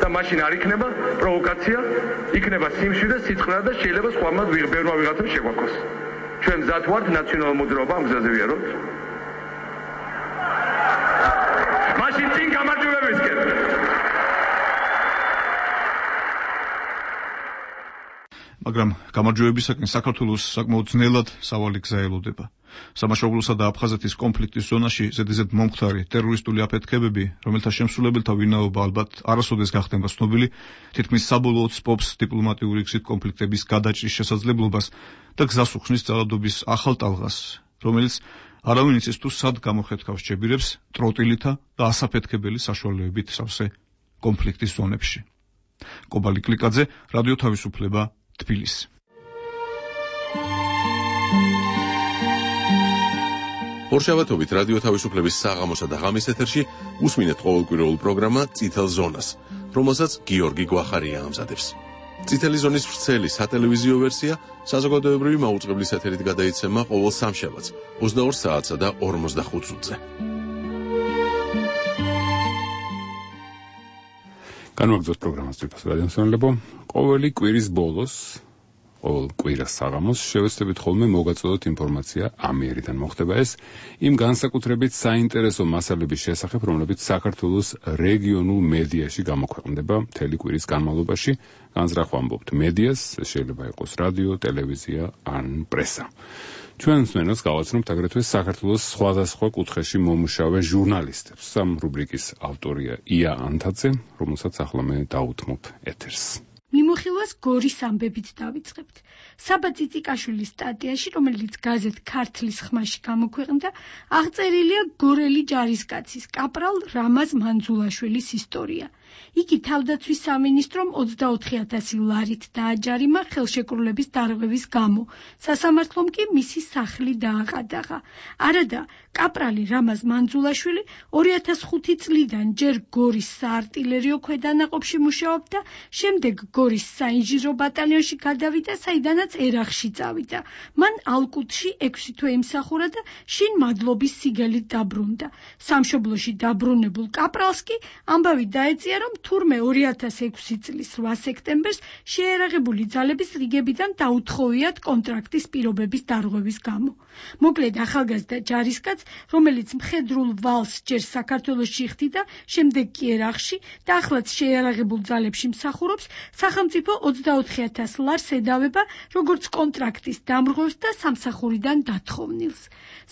და მაშინ არ იქნება პროვოკაცია, იქნება სიმშვიდე, სიცხრე და შეიძლება სხვამა ბევრმა ვიღაცამ შეგვაქოს. ჩვენ მზად ვართ ნაციონალურ მოძრაობა ამ გზაზე ვიაროთ. მაშინ წინ გამარჯვებებისკენ. მაგრამ გამარჯვებისაკენ საქართველოს საკმაოდ ძნელად სავალი გზა ელოდება. სამაშობლოსა და აფხაზეთის კონფლიქტის ზონაში ზედიზედ მომხდარი ტერორისტული აფეთქებები, რომელთა შემსრულებელთა ვინაობა ალბათ არასოდეს გახდება ცნობილი, თითქმის საბოლოოდ სპობს დიპლომატიური გზით კონფლიქტების გადაჭრის შესაძლებლობას და გზას უხსნის ძალადობის ახალ ტალღას, რომელიც არავინ იცის თუ სად გამოხეთქავს ჯებირებს ტროტილითა და ასაფეთქებელი საშუალებებით სავსე კონფლიქტის ზონებში. კობალი კლიკაძე, რადიო თავისუფლება, თბილისი. ორშაბათობით რადიო თავისუფლების საღამოსა და ღამის ეთერში უსმინეთ ყოველკვირეულ პროგრამა წითელ ზონას, რომელსაც გიორგი გვახარია ამზადებს. წითელი ზონის ვრცელი სატელევიზიო ვერსია საზოგადოებრივი მაუწყებლის ეთერით გადაიცემა ყოველ სამშაბათს 22 საათსა და 45 წუთზე. განვაგრძოთ პროგრამას ძვირფას რადიომსმენელებო. ყოველი კვირის ბოლოს, ყოველ კვირას საღამოს შევეცდებით ხოლმე მოგაწოდოთ ინფორმაცია ამიერიდან. მოხდება ეს იმ განსაკუთრებით საინტერესო მასალების შესახებ, რომლებიც საქართველოს რეგიონულ მედიაში გამოქვეყნდება მთელი კვირის განმავლობაში. განზრახვა ამბობთ მედიას, შეიძლება იყოს რადიო, ტელევიზია ან პრესა. ჩვენ მსმენელს გავაცნობთ აგრეთვე საქართველოს სხვადასხვა კუთხეში მომუშავე ჟურნალისტებს. ამ რუბრიკის ავტორია ია ანთაძე, რომელსაც ახლა მე დაუთმობ ეთერს. მიმოხილვას გორის ამბებით დავიწყებთ. საბა ციციკაშვილის სტატიაში, რომელიც გაზეთ ქართლის ხმაში გამოქვეყნდა, აღწერილია გორელი ჯარისკაცის კაპრალ რამაზ მანძულაშვილის ისტორია. იგი თავდაცვის სამინისტრომ 24,000 ლარით დააჯარიმა ხელშეკრულების დარღვევის გამო, სასამართლომ კი მისი სახლი დააყადაღა. არადა, კაპრალი რამაზ მანძულაშვილი 2005 წლიდან ჯერ გორის საარტილერიო ქვედანაყოფში მუშაობდა, შემდეგ გორის საინჟინრო ბატალიონში გადავიდა, საიდანაც ერახში წავიდა. მან ალკუტში 6 თვე იმსახურა და შინ მადლობის სიგელით დაბრუნდა. სამშობლოში დაბრუნებულ კაპრალს კი ამბავი დაეწია, რომ თურმე 2006 წლის 8 სექტემბერს შეერაღებული ძალების რიგებიდან დაუთხოვიათ კონტრაქტის პირობების დარღვევის გამო. მოკლედ ახალგაზრდა ჯარისკაც, რომელიც მხედრულ ვალს ჯერ საქართველოში ხდიდა, შემდეგ კი ერახში და ახლაც შეერაღებულ ძალებში მსახურობს, სახელმწიფო 24,000 ლარს ედავება როგორც კონტრაქტის დამრღვევს და სამსახურიდან დათხოვნილს.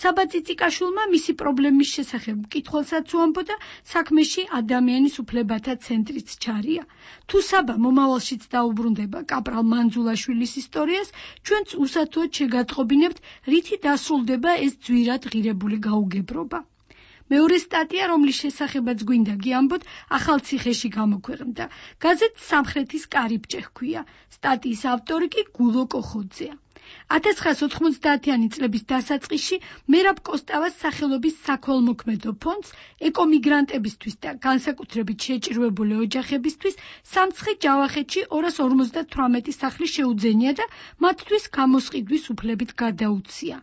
საბა ციციკაშვილმა მისი პრობლემის შესახებ მკითხველსაც უამბოდა, საქმეში ადამიანის უფლებათა ცენტრიც ჩარია. თუ საბა მომავალშიც დაუბრუნდება კაპრალ მანძულაშვილის ისტორიას, ჩვენც უსათუოდ შეგატყობინებთ, რითი დასრულდება ეს ძვირად ღირებული გაუგებრობა. მეორე სტატია, რომლის შესახებაც გვინდა გიამბოთ, ახალციხეში გამოქვეყნდა. გაზეთ სამხრეთის კარიბჭე ჰქვია. სტატიის ავტორი კი გულო კოხოძეა. 1990-იანი წლების დასაწყისში მერაბ კოსტავას სახელობის საქველმოქმედო ფონდს ეკომიგრანტებისთვის და განსაკუთრებით შეჭირვებული ოჯახებისთვის სამცხე ჯავახეთში 258 სახლი შეუძენია და მათთვის გამოსყიდვის უფლებით გადაუცია.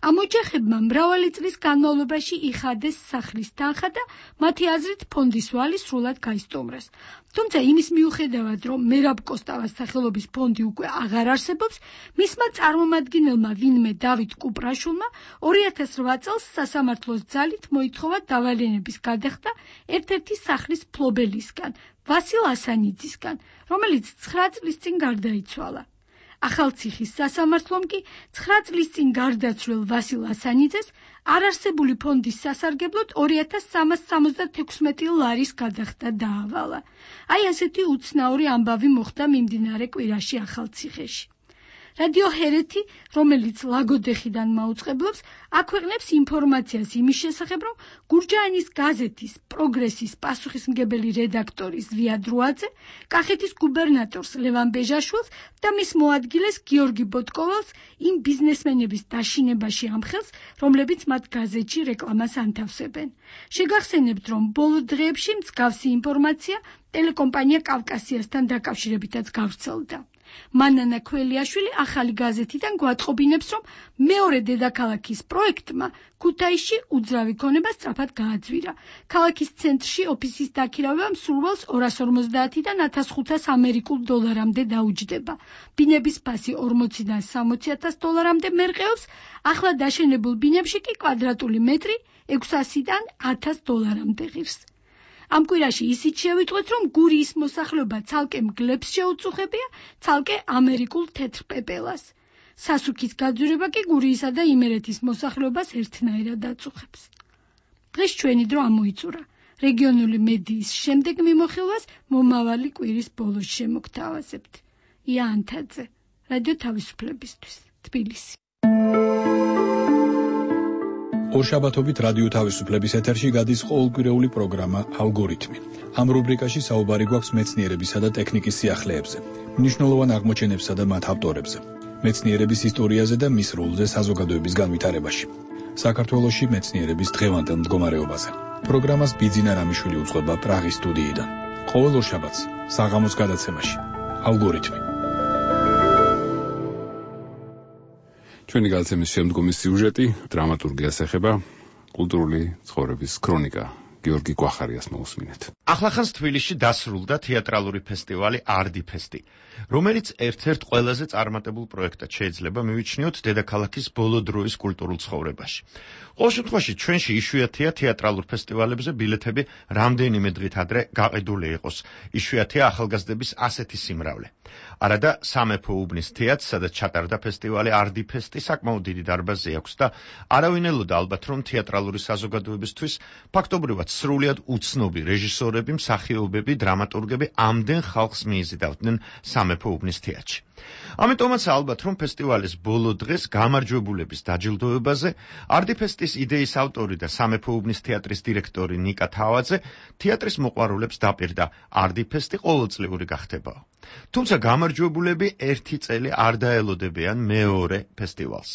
ამ ოჯახებმა მრავალი წლის განმავლობაში იხადეს სახლის თანხა და მათი აზრით ფონდის ვალი სრულად გაისტომრეს. თუმცა იმის მიუხედავად, რომ მერაბ კოსტავას სახელობის ფონდი უკვე აღარ არსებობს, მისმა წარმომადგენელმა ვინმე დავით კუპრაშვილმა 2008 წელს სასამართლოს ძალით მოითხოვა დავალენების გადახდა ერთ-ერთი სახლის ფლობელისგან, ვასილ ასანიძისგან, რომელიც 9 წლის წინ გარდაიცვალა. ახალციხის სასამართლომ კი 9 წლის წინ გარდაცვლილ ვასილ ასანიძეს არარსებული ფონდის სასარგებლოდ 2376 ლარის გადახდა დაავალა. აი ასეთი უცნაური ამბავი მოხდა მიმდინარე კვირაში ახალციხეში. რადიო ჰერეთი, რომელიც ლაგოდეხიდან მაუწყებლობს, აქვეყნებს ინფორმაციას იმის შესახებ, რომ გურჯაანის გაზეთის პროგრესის პასუხისმგებელი რედაქტორი ზვია დროაძე, კახეთის გუბერნატორს ლევან ბეჟაშვილს და მის მოადგილეს გიორგი ბოტკოვალს იმ ბიზნესმენების დაშინებაში ამხელს, რომლებიც მათ გაზეთში რეკლამას ანთავსებენ. შეგახსენებთ, რომ ბოლო დღეებში მსგავსი ინფორმაცია ტელეკომპანია კავკასიასთან დაკავშირებითაც გავრცელდა. მანანა ქველიაშვილი ახალი გაზეთიდან გვატყობინებს, რომ მეორე დედაქალაქის პროექტმა ქუთაისში უძრავი ქონება სწრაფად გააძვირა. ქალაქის ცენტრში ოფისის დაქირავება მსურველს 250-დან 1500 ამერიკულ დოლარამდე დაუჯდება. ბინების ფასი 40-დან 60,000 დოლარამდე მერყეობს, ახლა დაშენებულ ბინებში კი კვადრატული მეტრი 600-დან 1000 დოლარამდე ღირს. ამ კვირაში ისიც შევიტყვეთ, რომ გურიის მოსახლეობა ცალკე მგლებს შეუწუხებია, ცალკე ამერიკულ თეთრ პეპელას. სასუქის გაძვირება კი გურიისა და იმერეთის მოსახლეობას ერთნაირად აწუხებს. დღეს ჩვენი დრო ამოიწურა. რეგიონული მედიის შემდეგ მიმოხილვას მომავალი კვირის ბოლოს შემოგთავაზებთ. ია ანთაძე, რადიო თავისუფლებისთვის, თბილისი. ორშაბათობით რადიო თავისუფლების ეთერში გადის ყოველკვირეული პროგრამა ალგორითმი. ამ რუბრიკაში საუბარი გვაქვს მეცნიერებისა და ტექნიკის სიახლეებზე, მნიშვნელოვან აღმოჩენებსა და მათ ავტორებზე, მეცნიერების ისტორიაზე და მის როლზე საზოგადოების განვითარებაში, საქართველოში მეცნიერების დღევანდელ მდგომარეობაზე. პროგრამას ბიძინა რამიშვილი უძღვება პრაღის სტუდიიდან. ყოველ ორშაბათს საღამოს გადაცემაში ალგორითმი. ჩვენი გადაცემის შემდგომი სიუჟეტი დრამატურგიას ეხება, კულტურული ცხოვრების ქრონიკა გიორგი გვახარიას მოусმინეთ. ახლახანს თბილისში დასრულდა თეატრალური ფესტივალი არდიფესტი, რომელიც ერთ-ერთ ყველაზე წარმატებულ პროექტად შეიძლება მივიჩნიოთ დედაქალაქის ბოლო დროის კულტურულ ცხოვრებაში. ყოველ შემთხვევაში ჩვენში იშვიათია თეატრალურ ფესტივალებზე ბილეთები რამდენიმე დღით ადრე გაყიდული იყოს. იშვიათია ახალგაზრდების ასეთი სიმრავლე. არადა სამეფო უბნის თეატრს, სადაც ჩატარდა ფესტივალი არდიფესტი, საკმაოდ დიდი დარბაზი აქვს და არავინ ელოდა ალბათ, რომ თეატრალური საზოგადოებისთვის ფაქტობრივად სრულიად უცნობი რეჟისორები, მსახიობები, დრამატურგები ამდენ ხალხს მიიზიდავდნენ სამეფო უბნის თეატრში. ამიტომაც ალბათ, რომ ფესტივალის ბოლო დღეს გამარჯვებულების დაჯილდოებაზე არდიფესტის იდეის ავტორი და სამეფო უბნის თეატრის დირექტორი ნიკა თავაძე თეატრის მოყვარულებს დაპირდა არდიფესტი ყოველწლიური გახდებაო. თუმცა გამარჯვებულები ერთი წელი არ დაელოდებიან მეორე ფესტივალს.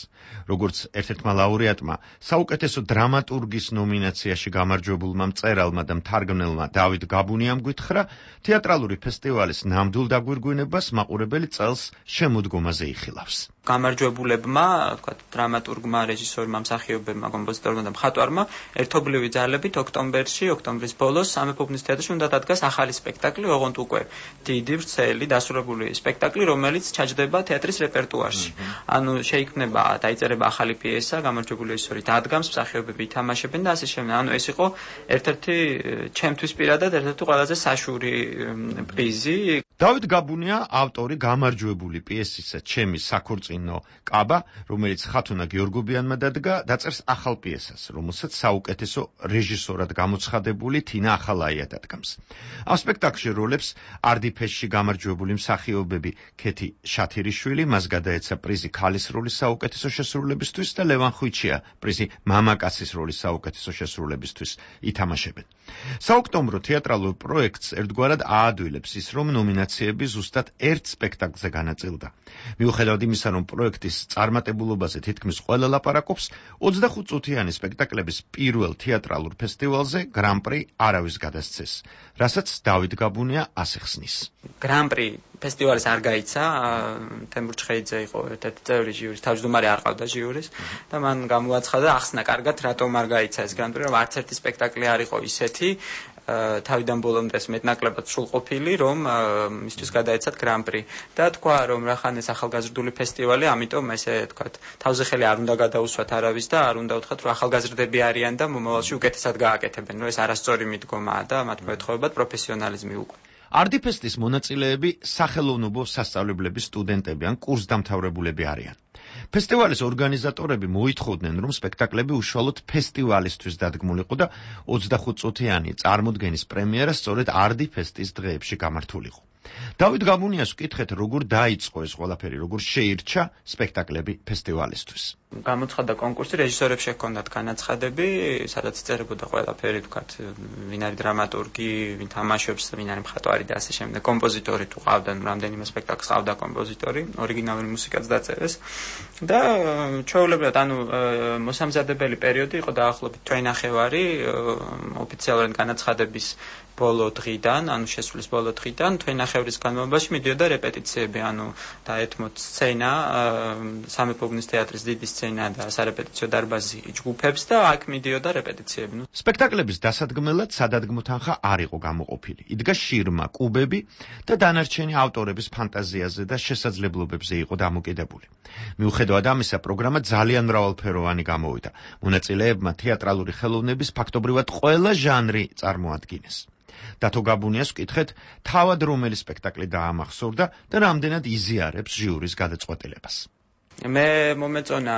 როგორც ერთ-ერთმა ლაურეატმა საუკეთესო დრამატურგის ნომინაციაში გამარჯვებულმა მწერალმა და მთარგმნელმა დავით გაბუნიამ გითხრა, თეატრალური ფესტივალის ნამდვილ დაგვირგვინებას მაყურებელი წელს შემოდგომაზე იხილავს. გამარჯვებულებმა, თქვათ, დრამატურგმა, რეჟისორმა, მსახიობებმა, კომპოზიტორმა და მხატვარმა ერთობლივი ძალებით ოქტომბრის ბოლოს სამეფო უბნის თეატრში უნდა დადგას ახალი სპექტაკლი, ოღონდ უკვე დიდი, ვრცელი, დასრულებული სპექტაკლი, რომელიც ჩაჯდება თეატრის რეპერტუარში. ანუ შეიქმნება, დაიწერება ახალი პიესა, გამარჯვებული რეჟისორი დადგამს, მსახიობები ითამაშებენ და ასე შემდეგ. ანუ ეს იყო ერთ-ერთი ჩემთვის პირადად ერთ-ერთი ყველაზე საშური პრიზი. დავით გაბუნია ავტორი გამარჯვებული პიესისა ჩემი საქორწინო კაბა, რომელიც ხათუნა გიორგობიანმა დადგა, დაწერს ახალ პიესას, რომელსაც საუკეთესო რეჟისორად გამოცხადებული თინა ახალაია დადგამს. ამ სპექტაკლში როლებს არდიფესტში გამარჯვებული მსახიობები ქეთი შათირიშვილი, მას გადაეცა პრიზი ქალის როლის საუკეთესო შესრულებისთვის და ლევან ხვიჩია პრიზი მამაკაცის როლის საუკეთესო შესრულებისთვის ითამაშებენ. საოქტომბრო თეატრალურ პროექტს ერთგვარად აადვილებს ის, რომ ნომინაციები ზუსტად ერთ სპექტაკლზე განაწილდა. მიუხედავად იმისა, რომ პროექტის წარმატებულობაზე თითქმის ყველა ლაპარაკობს, 25 წუთიანი სპექტაკლების პირველ თეატრალურ ფესტივალზე გრან-პრი არავის გადასცეს, რასაც დავით გაბუნია ასე ხსნის. გრან-პრი ფესტივალის არ გაიცა, თემურ ჩხეიძე იყო ერთ-ერთი წევრი ჟიურის, თავმჯდომარე არ ყავდა ჟიურის და მან გამოაცხადა ახსნა კარგად, რატომ არ გაიცა ეს გრან-პრი, რომ არც ერთი სპექტაკლი არ იყო ისეთი თავიდან ბოლომდე მეტნაკლებად სრულყოფილი, რომ მისთვის გადაეცათ გრან-პრი და თქვა, რომ რახან ეს ახალგაზრდული ფესტივალი, ამიტომ ესე თქვათ, თავზე ხელი არ უნდა გადაუსვათ არავის და არ უნდა უთხრათ, რომ ახალგაზრდები არიან და მომავალში უკეთესად გააკეთებენ, რომ ეს არასწორი მიდგომაა და მათ მოეთხოვებათ პროფესიონალიზმი უკვე. არდიფესტის მონაწილეები სახელოვნებო სასწავლებლების სტუდენტები ან კურსდამთავრებულები არიან. ფესტივალის ორგანიზატორები მოითხოვდნენ, რომ სპექტაკლები უშუალოდ ფესტივალისთვის დადგმულიყო და 25 წუთიანი წარმოდგენის პრემიერა სწორედ არდიფესტის დღეებში გამართულიყო. დავით გაბუნიას ვკითხეთ, როგორ დაიწყო ეს ყველაფერი, როგორ შეირჩა სპექტაკლები ფესტივალისთვის. გამოცხადდა კონკურსი, რეჟისორებს ჰქონდათ განაცხადები, სადაც იწერებოდა ყველაფერი, ვთქვათ, ვინ არის დრამატურგი, ვინ თამაშობს, ვინ არის მხატვარი და ასე შემდეგ. კომპოზიტორი თუ ყავდნენ, რამდენიმე სპექტაკლს ყავდა კომპოზიტორი, ორიგინალური მუსიკაც დაწერეს და ჩვეულებრივად, ანუ მოსამზადებელი პერიოდი იყო დაახლოებით თვე-ნახევარი ოფიციალურად განაცხადების ბოლო დღიდან, ანუ შესრულის ბოლო დღიდან, თვე-ნახევრის განმავლობაში მიდიოდა რეპეტიციები, ანუ დაეთმოთ სცენა, სამეფო უბნის თეატრის დიდი სცენა და სარეპეტიციო დარბაზი ჯგუფებს და აქ მიდიოდა რეპეტიციები. სპექტაკლების დასადგმელად სადადგმო თანხა არ იყო გამოყოფილი. იდგა შირმა, კუბები და დანარჩენი ავტორების ფანტაზიაზე და შესაძლებლობებზე იყო დამოკიდებული. მიუხედავად ამისა, პროგრამა ძალიან მრავალფეროვანი გამოვიდა. მონაწილეებმა თეატრალური ხელოვნების ფაქტობრივად ყველა ჟანრი წარმოადგინეს. დათო გაბუნიას ვკითხეთ, თავად რომელი სპექტაკლი დაამახსოვრდა და რამდენად იზიარებს ჟიურის გადაწყვეტილებას. მე მომეწონა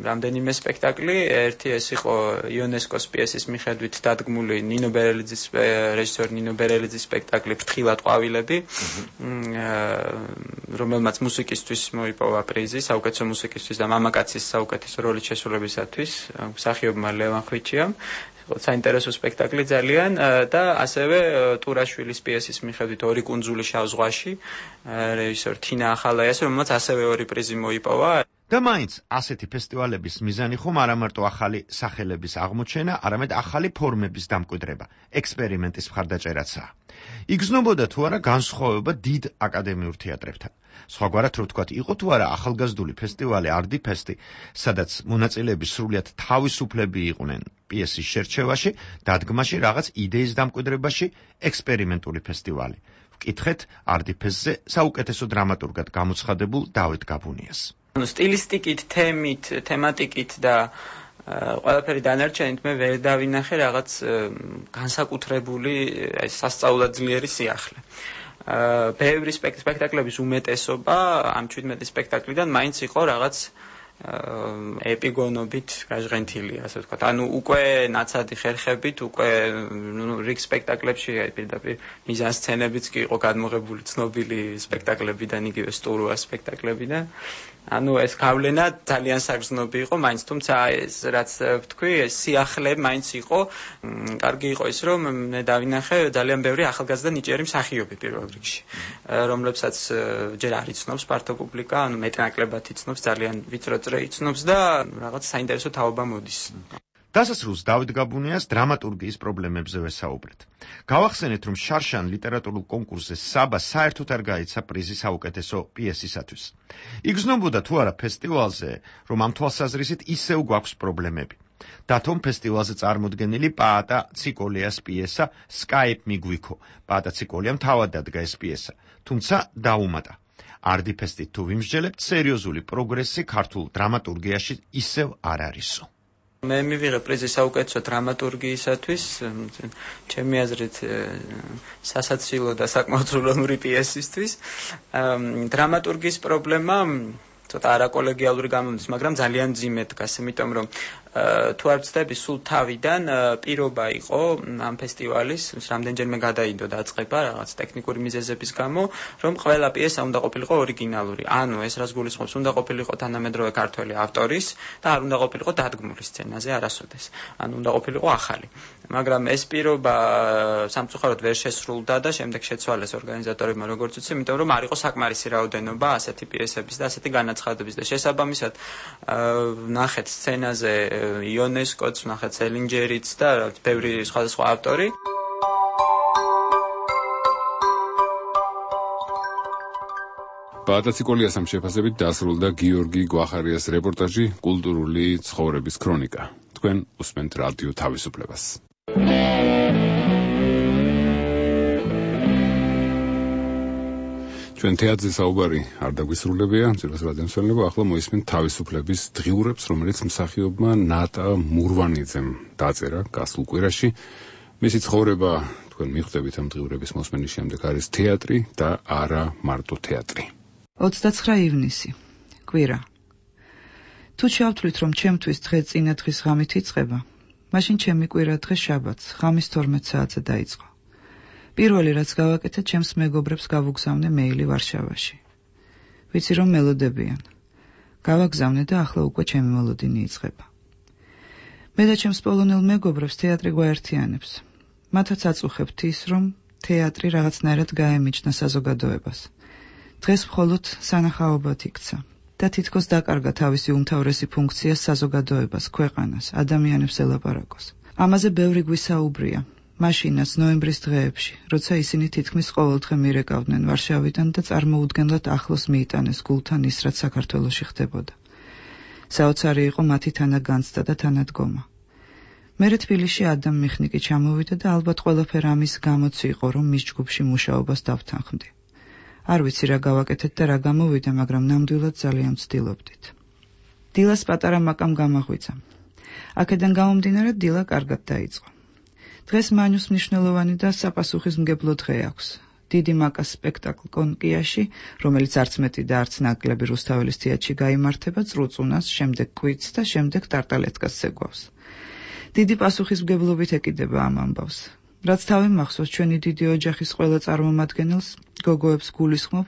რამდენიმე სპექტაკლი, ერთი ეს იყო იუნესკოს პიესის მიხედვით დადგმული ნინო ბერელიძის რეჟისორი ნინო ბერელიძის სპექტაკლი ფრთხილად ყვავილები, რომელმაც მუსიკისთვის მოიპოვა პრიზი, საუკეთესო მუსიკისთვის და მამაკაცის საუკეთესო როლის შესრულებისათვის, მსახიობმა ლევან ხვიჩიამ. საინტერესო სპექტაკლი ძალიან და ასევე ტურაშვილის პიესის მიხედვით ორი კუნძული შავ ზღვაში რეჟისორ თინა ახალაიას, რომელმაც ასევე ორი პრიზი მოიპოვა. და მაინც ასეთი ფესტივალების მიზანი ხომ არა მარტო ახალი სახელების აღმოჩენა, არამედ ახალი ფორმების დამკვიდრება, ექსპერიმენტის მხარდაჭერაცაა. იგრძნობოდა თუ არა განსხვავება დიდ აკადემიურ თეატრებთან. სხვაგვარად რო ვთქვათ, იყო თუ არა ახალგაზრდული ფესტივალი არდი ფესტი, სადაც მონაწილეები სრულიად თავისუფლები იყვნენ პიესის შერჩევაში, დადგმაში, რაღაც იდეის დამკვიდრებაში, ექსპერიმენტული ფესტივალი. ვკითხეთ არდი ფესტზე საუკეთესო დრამატურგად გამოცხადებულ დავით გაბუნიას. სტილისტიკით, თემით, თემატიკით და ყველაფერი დანარჩენით მე ვერ დავინახე რაღაც განსაკუთრებული სასწაულად ძლიერი სიახლე. ბევრი სპექტაკლების უმეტესობა ამ 17 სპექტაკლიდან მაინც იყო რაღაც ეპიგონობით გაჟღენთილი, ასე ვთქვათ. ანუ უკვე ნაცადი ხერხებით, უკვე რიგ სპექტაკლებში პირდაპირ მიზანსცენებიც კი იყო გადმოღებული ცნობილი სპექტაკლებიდან, იგივე სტურუა სპექტაკლებიდან. ანუ ეს გავლენა ძალიან საგრძნობი იყო, მაინც თუმცა ეს რაც ვთქვი, ეს სიახლე მაინც იყო, კარგი იყო ის, რომ მე დავინახე ძალიან ბევრი ახალგაზრდა ნიჭიერი მსახიობი პირველ რიგში, რომლებსაც ჯერ არ იცნობს ფართო პუბლიკა, ანუ მეტნაკლებად იცნობს, ძალიან ვიწრო წრე იცნობს და რაღაც საინტერესო თაობა მოდის. დასასრულს დავით გაბუნიას დრამატურგიის პრობლემებზე ვესაუბრეთ. გავახსენეთ, რომ შარშან ლიტერატურულ კონკურსზე საბა საერთოდ არ გაიცა პრიზი საუკეთესო პიესისათვის. იგრძნობოდა თუ არა ფესტივალზე, რომ ამ თვალსაზრისით ისევ გვაქვს პრობლემები. დათომ ფესტივალზე წარმოდგენილი პაატა ციკოლიას პიესა სკაიპ მიგვიქო. პაატა ციკოლიამ თავად დადგა ეს პიესა, თუმცა დაუმატა. არდი ფესტით თუ ვიმსჯელებთ, სერიოზული პროგრესი ქართულ დრამატურგიაში ისევ არ არისო. მე მივიღე პრიზი საუკეთესო დრამატურგიისათვის, ჩემი აზრით სასაცილო და საკმაოდ სრულოვნური პიესისთვის. დრამატურგიის პრობლემა ცოტა არაკოლეგიალური გამოდის, მაგრამ ძალიან მძიმე დგას, იმიტომ რომ თუ არ ვცდები, სულ თავიდან პირობა იყო ამ ფესტივალის, რამდენჯერმე გადაიდო დაწყება რაღაც ტექნიკური მიზეზების გამო, რომ ყველა პიესა უნდა ყოფილიყო ორიგინალური. ანუ ეს რას გულისხმობს, უნდა ყოფილიყო თანამედროვე ქართველი ავტორის და არ უნდა ყოფილიყო დადგმული სცენაზე არასოდეს. ანუ უნდა ყოფილიყო ახალი. მაგრამ ეს პირობა სამწუხაროდ ვერ შესრულდა და შემდეგ შეცვალეს ორგანიზატორებმა, როგორც ვიცი, იმიტომ რომ არ იყო საკმარისი რაოდენობა ასეთი პიესების და ასეთი განაცხადების და შესაბამისად ნახეთ სცენაზე იონესკოც, ნახეთ სელინჯერიც და ბევრი სხვადასხვა ავტორი. პაატა ციკოლიას ამ შეფასებით დასრულდა გიორგი გვახარიას რეპორტაჟი კულტურული ცხოვრების ქრონიკა. თქვენ უსმენთ რადიო თავისუფლებას. ჩვენ თეატრზე საუბარი არ დაგვისრულებია, ძირას რადიომსმენელებო, ახლა მოისმენთ თავისუფლების დღიურებს, რომელიც მსახიობმა ნატა მურვანიძემ დაწერა გასულ კვირაში. მისი ცხოვრება, თქვენ მიხვდებით ამ დღიურების მოსმენის შემდეგ, არის თეატრი და არა მარტო თეატრი. 29 ივნისი, კვირა. თუ შევთვლით, რომ ჩემთვის დღე წინა დღის ღამით იწყება, მაშინ ჩემი კვირა დღე შაბათს, ღამის 12 საათზე დაიწყო. პირველი რაც გავაკეთე, ჩემს მეგობრებს გავუგზავნე მეილი ვარშავაში. ვიცი რომ მელოდებიან. გავაგზავნე და ახლა უკვე ჩემი მელოდინი იწყება. მე და ჩემს პოლონელ მეგობრებს თეატრი გვაერთიანებს. მათაც აწუხებთ ის, რომ თეატრი რაღაცნაირად გაემიჯნა საზოგადოებას. დღეს მხოლოდ სანახაობად იქცა და თითქოს დაკარგა თავისი უმთავრესი ფუნქცია საზოგადოებას, ქვეყანას, ადამიანებს ელაპარაკოს. ამაზე ბევრი გვისაუბრია. მაშინაც ნოემბრის დღეებში, როცა ისინი თითქმის ყოველდღე მირეკავდნენ ვარშავიდან და წარმოუდგენლად ახლოს მიიტანეს გულთან ის, რაც საქართველოში ხდებოდა. საოცარი იყო მათი თანაგანცდა და თანადგომა. მერე თბილისში ადამ მიხნიკი ჩამოვიდა და ალბათ ყველაფერი ამის გამოც იყო, რომ მის ჯგუფში მუშაობას დავთანხმდი. არ ვიცი რა გავაკეთეთ და რა გამოვიდა, მაგრამ ნამდვილად ძალიან ვცდილობდით. დილას პატარა მაკამ გამაღვიძა. აქედან გამომდინარე დილა კარგად დაიწყო. დღეს მანიუს მნიშვნელოვანი და საპასუხისმგებლო დღე აქვს. დიდი მაკას სპექტაკლ კონკიაში, რომელიც არც მეტი და არც ნაკლები რუსთაველის თეატრში გაიმართება, წრუწუნას, შემდეგ კვიცს და შემდეგ ტარტალეტკას ზეგვავს. დიდი პასუხისმგებლობით ეკიდება ამ ამბავს. რაც თავი მახსოვს ჩვენი დიდი ოჯახის ყველა წარმომადგენელს, გოგოებს გულისხმობ,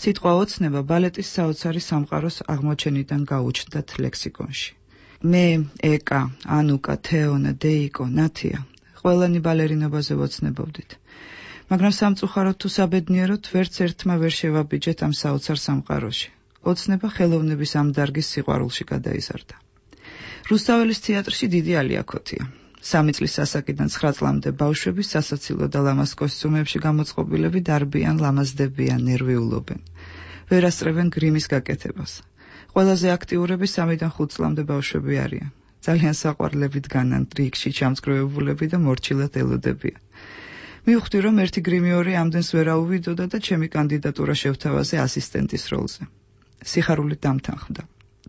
სიტყვა ოცნება ბალეტის საოცარი სამყაროს აღმოჩენიდან გაუჩნდათ ლექსიკონში. მე, ეკა, ანუკა, თეონა, დეიკო, ნათია ყველანი ბალერინობაზე ვოცნებობდით. მაგრამ სამწუხაროდ თუ საბედნიეროდ ვერც ერთმა ვერ შევაბიჯეთ ამ საოცარ სამყაროში. ოცნება ხელოვნების ამ დარგის სიყვარულში გადაიზარდა. რუსთაველის თეატრში დიდი ალიაქოთია. 3 წლის ასაკიდან 9 წლამდე ბავშვები სასაცილო და ლამაზ კოსტიუმებში გამოწყობილები დარბიან, ლამაზდებიან, ნერვიულობენ. ვერ ასწრებენ გრიმის გაკეთებას. ყველაზე აქტიურები 3-დან 5 წლამდე ბავშვები არიან. ძალიან საყვარლებით განან რიგში ჩამწკრივებულები და მორჩილად ელოდებიან. მივხვდი, რომ ერთი გრიმიორი ამდენს ვერ აუვიდოდა და ჩემი კანდიდატურა შევთავაზე ასისტენტის როლზე. სიხარულით დამთანხმდა.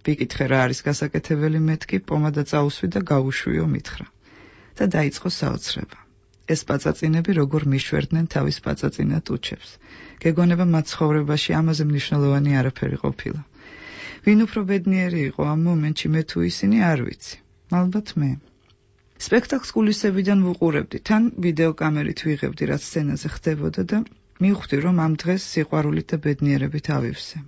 ვიკითხე რა არის გასაკეთებელი, მეთქი პომადა წაუსვი და გაუშვიო მითხრა. და დაიწყო საოცრება. ეს პაწაწინები როგორ მიშვერდნენ თავის პაწაწინა ტუჩებს. გეგონება მათ ცხოვრებაში ამაზე მნიშვნელოვანი არაფერი ყოფილა. ვინ უფრო ბედნიერი იყო ამ მომენტში, მე თუ ისინი, არ ვიცი. ალბათ მე. სპექტაკლს კულისებიდან ვუყურებდი, თან ვიდეოკამერით ვიღებდი, რაც სცენაზე ხდებოდა და მივხვდი, რომ ამ დღეს სიყვარულით და ბედნიერებით ავივსე.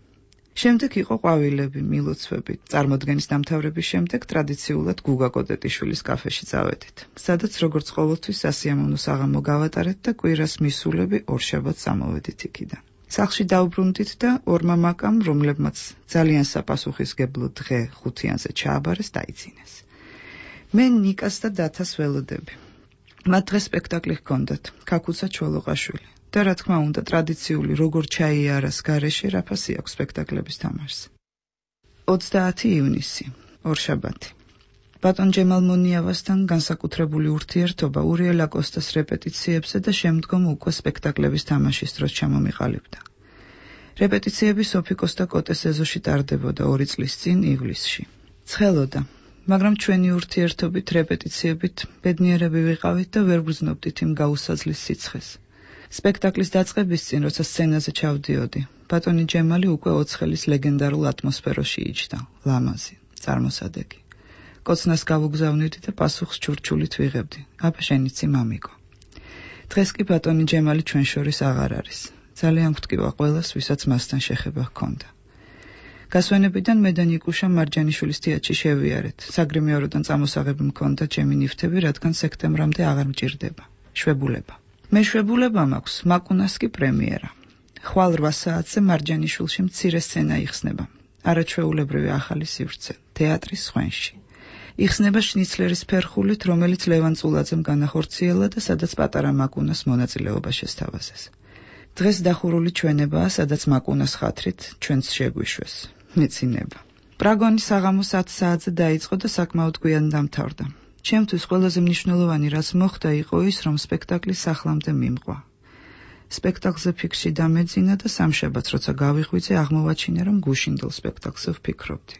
შემდეგ იყო ყვავილები, მილოცვები. წარმოდგენის დამთავრების შემდეგ ტრადიციულად გუგა კოტეტიშვილის კაფეში წავედით, სადაც როგორც ყოველთვის სასიამოვნო საღამო გავატარეთ და კვირას მისულები ორშაბათს წამოვედით იქიდან. სახლში დავბრუნდით და ორმა მაკამ, რომლებმაც ძალიან საპასუხისგებლო დღე ხუთიანზე ჩააბარეს, დაიძინეს. მე ნიკას და დათას ველოდები. მათ დღეს სპექტაკლი ჰქონდათ, ქაქუცა ჩოლოყაშვილი. და რა თქმა უნდა, ტრადიციული როგორ ჩაიარას გარეშე რაფასი აქვს სპექტაკლების თამაშს. 30 ივნისი, ორშაბათი. ბატონ ჯემალ მონიავასთან განსაკუთრებული ურთიერთობა ურიელ აკოსტას რეპეტიციებზე და შემდგომ უკვე სპექტაკლების თამაშის დროს ჩამომიყალიბდა. რეპეტიციები სოფი კოსტა კოტეს ეზოში ტარდებოდა 2 წლის წინ ივლისში. ცხელოდა, მაგრამ ჩვენი ურთიერთობით რეპეტიციებით ბედნიერები ვიყავით და ვერ ვგრძნობდით იმ გაუსაძლის სიცხეს. სპექტაკლის დაწყების წინ, როცა სცენაზე ჩავდიოდი, ბატონი ჯემალი უკვე ოცხელის ლეგენდარულ ატმოსფეროში იჯდა, ლამაზი, წარმოსადეგი. კოცნას გავუგზავნიდი და პასუხს ჩურჩულით ვიღებდი. აბა შენიცი მამიკო. დღეს კი ბატონი ჯემალი ჩვენ შორის აღარ არის. ძალიან გვტკივა ყველას, ვისაც მასთან შეხება ჰქონდა. გასვენებიდან მე და ნიკუშა მარჯანიშვილის თეატრში შევიარეთ. საგრიმეოროდან წამოსაღები მქონდა ჩემი ნივთები, რადგან სექტემბრამდე აღარ მჭირდება. შვებულება. მეშვებულება მაქვს, მაკუნას კი პრემიერა. ხვალ 8 საათზე მარჯანიშვილში მცირე სცენა იხსნება. არაჩვეულებრივი ახალი სივრცე, თეატრის ხვენში. იხსნება შნიცლერის ფერხულით, რომელიც ლევან წულაძემ განახორციელა და სადაც პატარა მაკუნას მონაწილეობა შესთავაზეს. დღეს დახურული ჩვენებაა, სადაც მაკუნას ხათრით ჩვენც შეგვიშვეს. მეცინება. პრაგონი საღამო 10 საათზე დაიწყო და საკმაოდ გვიან დამთავრდა. ჩემთვის ყველაზე მნიშვნელოვანი რაც მოხდა იყო ის, რომ სპექტაკლი სახლამდე მიმყვა. სპექტაკლზე ფიქრში დამეძინა და სამშაბათს, როცა გავიღვიძე, აღმოვაჩინე, რომ გუშინდელ სპექტაკლზე ვფიქრობდი.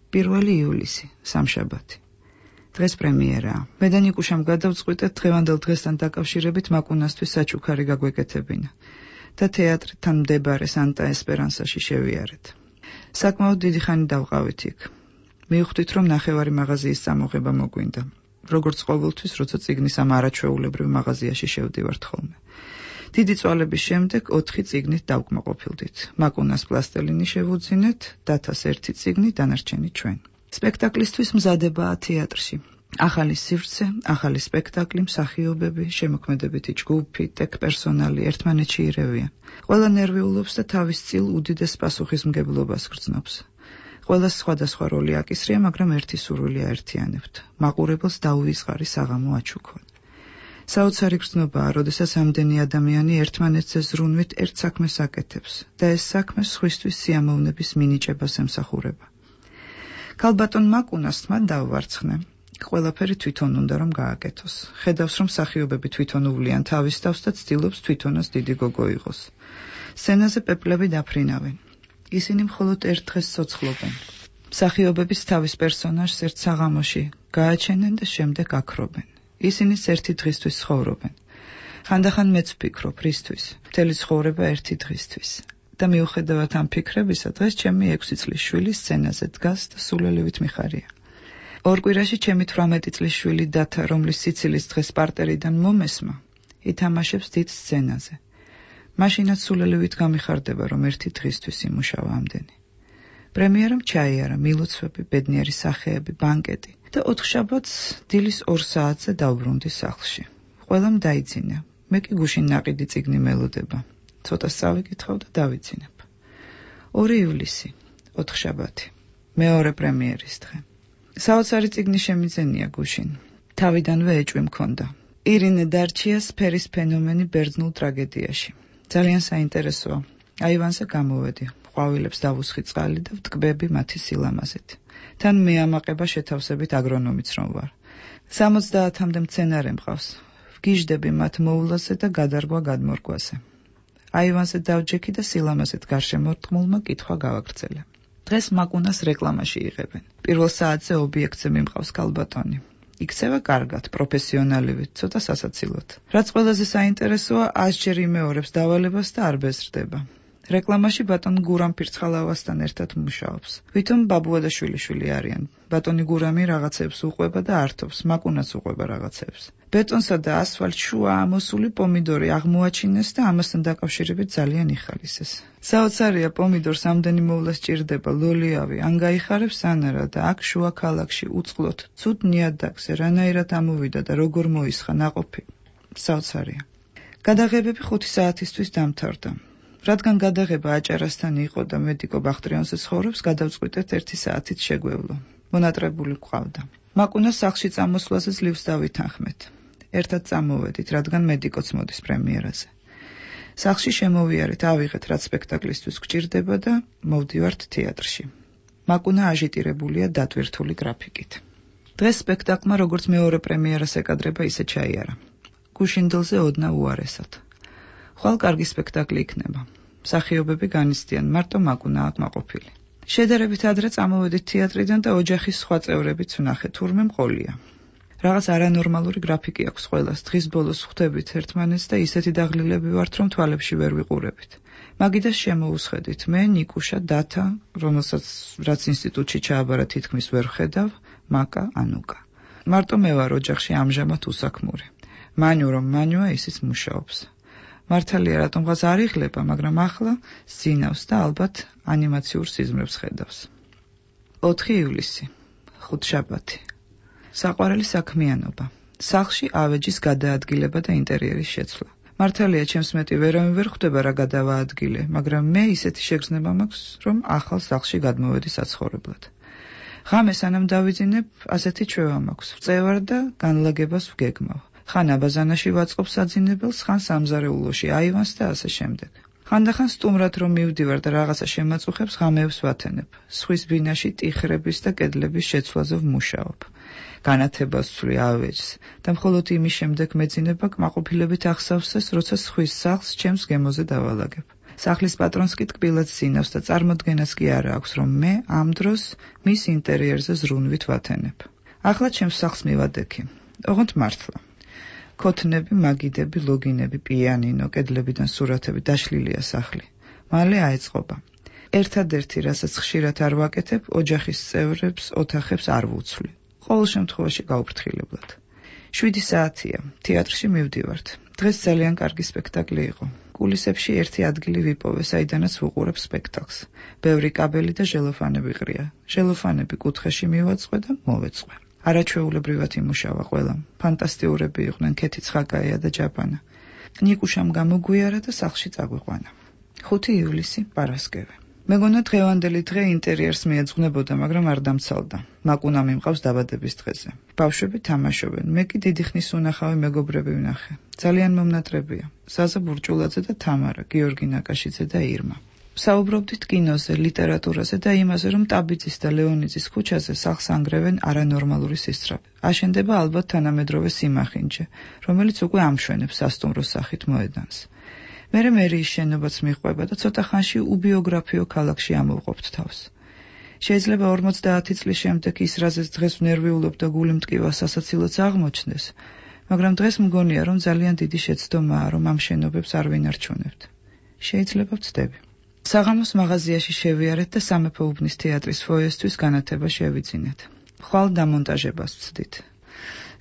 1 ივლისი, სამშაბათი. დღეს პრემიერაა. მე და ნიკუშამ გადავწყვიტეთ დღევანდელ დღესთან დაკავშირებით მაკუნასთვის საჩუქარი გაგვეკეთებინა და თეატრთან მდებარე სანტა ესპერანსაში შევიარეთ. საკმაოდ დიდი ხანი დავყავით იქ. მივხვდით, რომ ნახევარი მაღაზიის წამოღება მოგვინდა. როგორც ყოველთვის, როცა წიგნის ამ არაჩვეულებრივ მაღაზიაში შევდივართ ხოლმე. დიდი წვალების შემდეგ 4 წიგნით დავკმაყოფილდით. მაკუნას პლასტელინი შევუძინეთ, დათას 1 წიგნი, დანარჩენი ჩვენ. სპექტაკლისთვის მზადებაა თეატრში. ახალი სივრცე, ახალი სპექტაკლი, მსახიობები, შემოქმედებითი ჯგუფი, ტექ პერსონალი ერთმანეთში ირევიან. ყველა ნერვიულობს და თავის წილ უდიდეს პასუხისმგებლობას გრძნობს. ყველას სხვადასხვა როლი აკისრია, მაგრამ ერთი სურვილი აერთიანებთ. მაყურებელს დაუვიწყარი საღამო აჩუქონ. საოცარი გრძნობაა, როდესაც ამდენი ადამიანი ერთმანეთზე ზრუნვით ერთ საქმეს აკეთებს და ეს საქმე სხვისთვის სიამოვნების მინიჭებას ემსახურება. ქალბატონ მაკუნას თმა დავვარცხნე. ყველაფერი თვითონ უნდა რომ გააკეთოს. ხედავს, რომ მსახიობები თვითონ უვლიან თავის თავს და ცდილობს თვითონაც დიდი გოგო იყოს. სცენაზე პეპლები დაფრინავენ. ისინი მხოლოდ ერთ დღეს ცოცხლობენ. მსახიობების თავის პერსონაჟს ერთ საღამოში გააჩენენ და შემდეგ აქრობენ. ისინიც ერთი დღისთვის ცხოვრობენ. ხანდახან მეც ვფიქრობ, რისთვის? მთელი ცხოვრება ერთი დღისთვის. და მიუხედავად ამ ფიქრებისა, დღეს ჩემი 6 წლის შვილი სცენაზე დგას და სულელივით მიხარია. ორ კვირაში ჩემი 18 წლის შვილი დათა, რომლის სიცილის დღეს პარტერიდან მომესმა, ითამაშებს დიდ სცენაზე. მაშინაც სულელივით გამიხარდება, რომ ერთი დღისთვის იმუშავა ამდენი. პრემიერამ ჩაიარა მილოცვები, ბედნიერი სახეები, ბანკეტი და 4 შაბათს დილის 2 საათზე დავბრუნდი სახლში. ყველამ დაიძინა. მე კი გუშინ ნაყიდი წიგნი მელოდება. ცოტა სწავიკითხავ და დავიძინებ. 2 ივლისი, ოთხშაბათი, მეორე პრემიერის დღე. საოცარი წიგნი შემიძენია გუშინ. თავიდანვე ეჭვი მქონდა. ირინე დარჩიას ფერის ფენომენი ბერძნულ ტრაგედიაში. ძალიან საინტერესოა. აივანზე გამოვედი, ყვავილებს დავუსხი წყალი და ვტკბები მათი სილამაზით. თან მე ამაყება შეთავსებით აგრონომიც რომ ვარ. 70-მდე მცენარე მყავს. ვგიჟდები მათ მოვლაზე და გადარგვა გადმორგვაზე. აივანზე დავჯექი და სილამაზით გარშემორტყმულმა კითხვა გავაგრძელე. დღეს მაკუნას რეკლამაში იღებენ. პირველ საათზე ობიექტზე მიმყავს კალბატონი. იქცევა კარგად, პროფესიონალივით, ცოტა სასაცილოდ. რაც ყველაზე საინტერესოა, 100-ჯერ იმეორებს დავალებას და არ ბეზრდება. რეკლამაში ბატონ გურამ ფირცხალავასთან ერთად მუშაობს. ვითომ ბაბუა და შვილიშვილი არიან. ბატონი გურამი რაღაცებს უყვება და ართობს, მაკუნაც უყვება რაღაცებს. ბეტონსა და ასფალტ შუა ამოსული პომიდორი აღმოაჩინეს და ამასთან დაკავშირებით ძალიან იხალისეს. საოცარია, პომიდორს ამდენი მოვლა სჭირდება, ლოლიავი, ან გაიხარებს ანარა და აქ შუა ქალაქში უწყლოდ ცუდ ნიადაგზე რანაირად ამოვიდა და როგორ მოისხა ნაყოფი. საოცარია. გადაღებები 5 საათისთვის დამთავრდა. რადგან გადაღება აჭარასთან იყო და მედიკო ბახტრიონზე ცხოვრობს, გადავწყვიტეთ 1 საათით შეგვევლო. მონატრებული გვყავდა. მაკუნას სახლში წამოსვლაზე ძლივს დავითანხმეთ. ერთად წამოვედით, რადგან მედიკოც მოდის პრემიერაზე. სახლში შემოვიარეთ, ავიღეთ, რაც სპექტაკლისთვის გვჭირდება და მოვდივართ თეატრში. მაკუნა აჟიტირებულია დატვირთული გრაფიკით. დღეს სპექტაკლმა როგორც მეორე პრემიერას ეკადრება, ისე ჩაიარა. გუშინდელზე ოდნა უარესად. ხვალ კარგი სპექტაკლი იქნება. მსახიობები განიცდიან, მარტო მაკუნა აქ მაყოფილი. შედარებით ადრე წამოვედით თეატრიდან და ოჯახის სხვა წევრებიც ვნახეთ, თურმე მყოლია. რაღაც არანორმალური გრაფიკი აქვს ყველას, დღის ბოლოს ხვდებით ერთმანეთს და ისეთი დაღლილები ვართ, რომ თვალებში ვერ ვიყურებით. მაგიდას შემოუსხედით, მე, ნიკუშა, დათა, რომელსაც რაც ინსტიტუტში ჩააბარა თითქმის ვერ ვხედავ, მაკა, ანუკა. მარტო მე ვარ ოჯახში ამჟამად უსაქმური. მანიუ რომ მანიუა, ისიც მუშაობს. მართალია რატომღაც არ იღლება, მაგრამ ახლა სინავს და ალბათ ანიმაციურ სიზმრებს ხედავს. 4 ივლისი, ხუთშაბათი. საყვარელი საქმიანობა. სახლში ავეჯის გადაადგილება და ინტერიერის შეცვლა. მართალია ჩემს მეტი ვერავინ ვერ ხვდება რა გადავაადგილე, მაგრამ მე ისეთი შეგრძნება მაქვს, რომ ახალ სახლში გადმოვედი საცხოვრებლად. ღამე სანამ დავიძინებ, ასეთი ჩვევა მაქვს. ვწევარ და განლაგებას ვგეგმავ. ხან აბაზანაში ვაწყობ საძინებელს, ხან სამზარეულოში აივანს და ასე შემდეგ. ხანდახან სტუმრად რომ მივდივარ და რაღაცა შემაწუხებს, ღამეებს ვათენებ. სხვის ბინაში ტიხრების და კედლების შეცვლაზე ვმუშაობ. განათებას ვცვლი ავეჯს და მხოლოდ იმის შემდეგ მეძინება კმაყოფილებით ახსავსეს, როცა სხვის სახლს ჩემს გემოზე დავალაგებ. სახლის პატრონს კი ტკბილად სინავს და წარმოდგენას კი არა აქვს, რომ მე ამ დროს მის ინტერიერზე ზრუნვით ვათენებ. ახლა ჩემს სახლს მივადექი. ოღონდ მართლა. ქოთნები, მაგიდები, ლოგინები, პიანინო, კედლებიდან სურათები, დაშლილია სახლი. მალე აეწყობა. ერთადერთი, რასაც ხშირად არ ვაკეთებ, ოჯახის წევრებს, ოთახებს არ ვუცვლი. ყოველ შემთხვევაში გაუფრთხილებლად. 7 საათია, თეატრში მივდივართ. დღეს ძალიან კარგი სპექტაკლი იყო. კულისებში ერთი ადგილი ვიპოვე, საიდანაც ვუყურებ სპექტაკლს. ბევრი კაბელი და ჟელოფანები ყრია. ჟელოფანები კუთხეში მივაწყვე და მოვეწყვე. არაჩვეულებრივად იმუშავა ყველამ. ფანტასტიურები იყვნენ ქეთი ცხაკაია და ჯაპანა. ნიკუშამ გამოგვიარა და სახლში წაგვიყვანა. 5 ივლისი, პარასკევი. მეგონა დღევანდელი დღე ინტერიერს მიეძღვნებოდა, მაგრამ არ დამცალდა. მაკუნა მიმყავს დაბადების დღეზე. ბავშვები თამაშობენ. მე კი დიდი ხნის უნახავი მეგობრები ვნახე. ძალიან მომნატრებია. ზაზა ბურჭულაძე და თამარა, გიორგი ნაკაშიძე და ირმა. საუბრობდით კინოზე, ლიტერატურაზე და იმაზე, რომ ტაბიძის და ლეონიძის ქუჩაზე სახლს ანგრევენ არანორმალური სისწრაფე. აშენდება ალბათ თანამედროვე სიმახინჯე, რომელიც უკვე ამშვენებს სასტუმროს სახით მოედანს. მერე მერიის შენობაც მიყვება და ცოტა ხანში უბიოგრაფიო ქალაქში ამოვყოფთ თავს. შეიძლება 50 წლის შემდეგ ის, რაზეც დღეს ვნერვიულობ და გული მტკივა სასაცილოც აღმოჩნდეს, მაგრამ დღეს მგონია, რომ ძალიან დიდი შეცდომაა, რომ ამ შენობებს არ ვინარჩუნებთ. შეიძლება ვწდები. საღამოს მაღაზიაში შევიარეთ და სამეფო უბნის თეატრის ფოიესთვის განათება შევიძინეთ. ხვალ დამონტაჟებას ვცდით.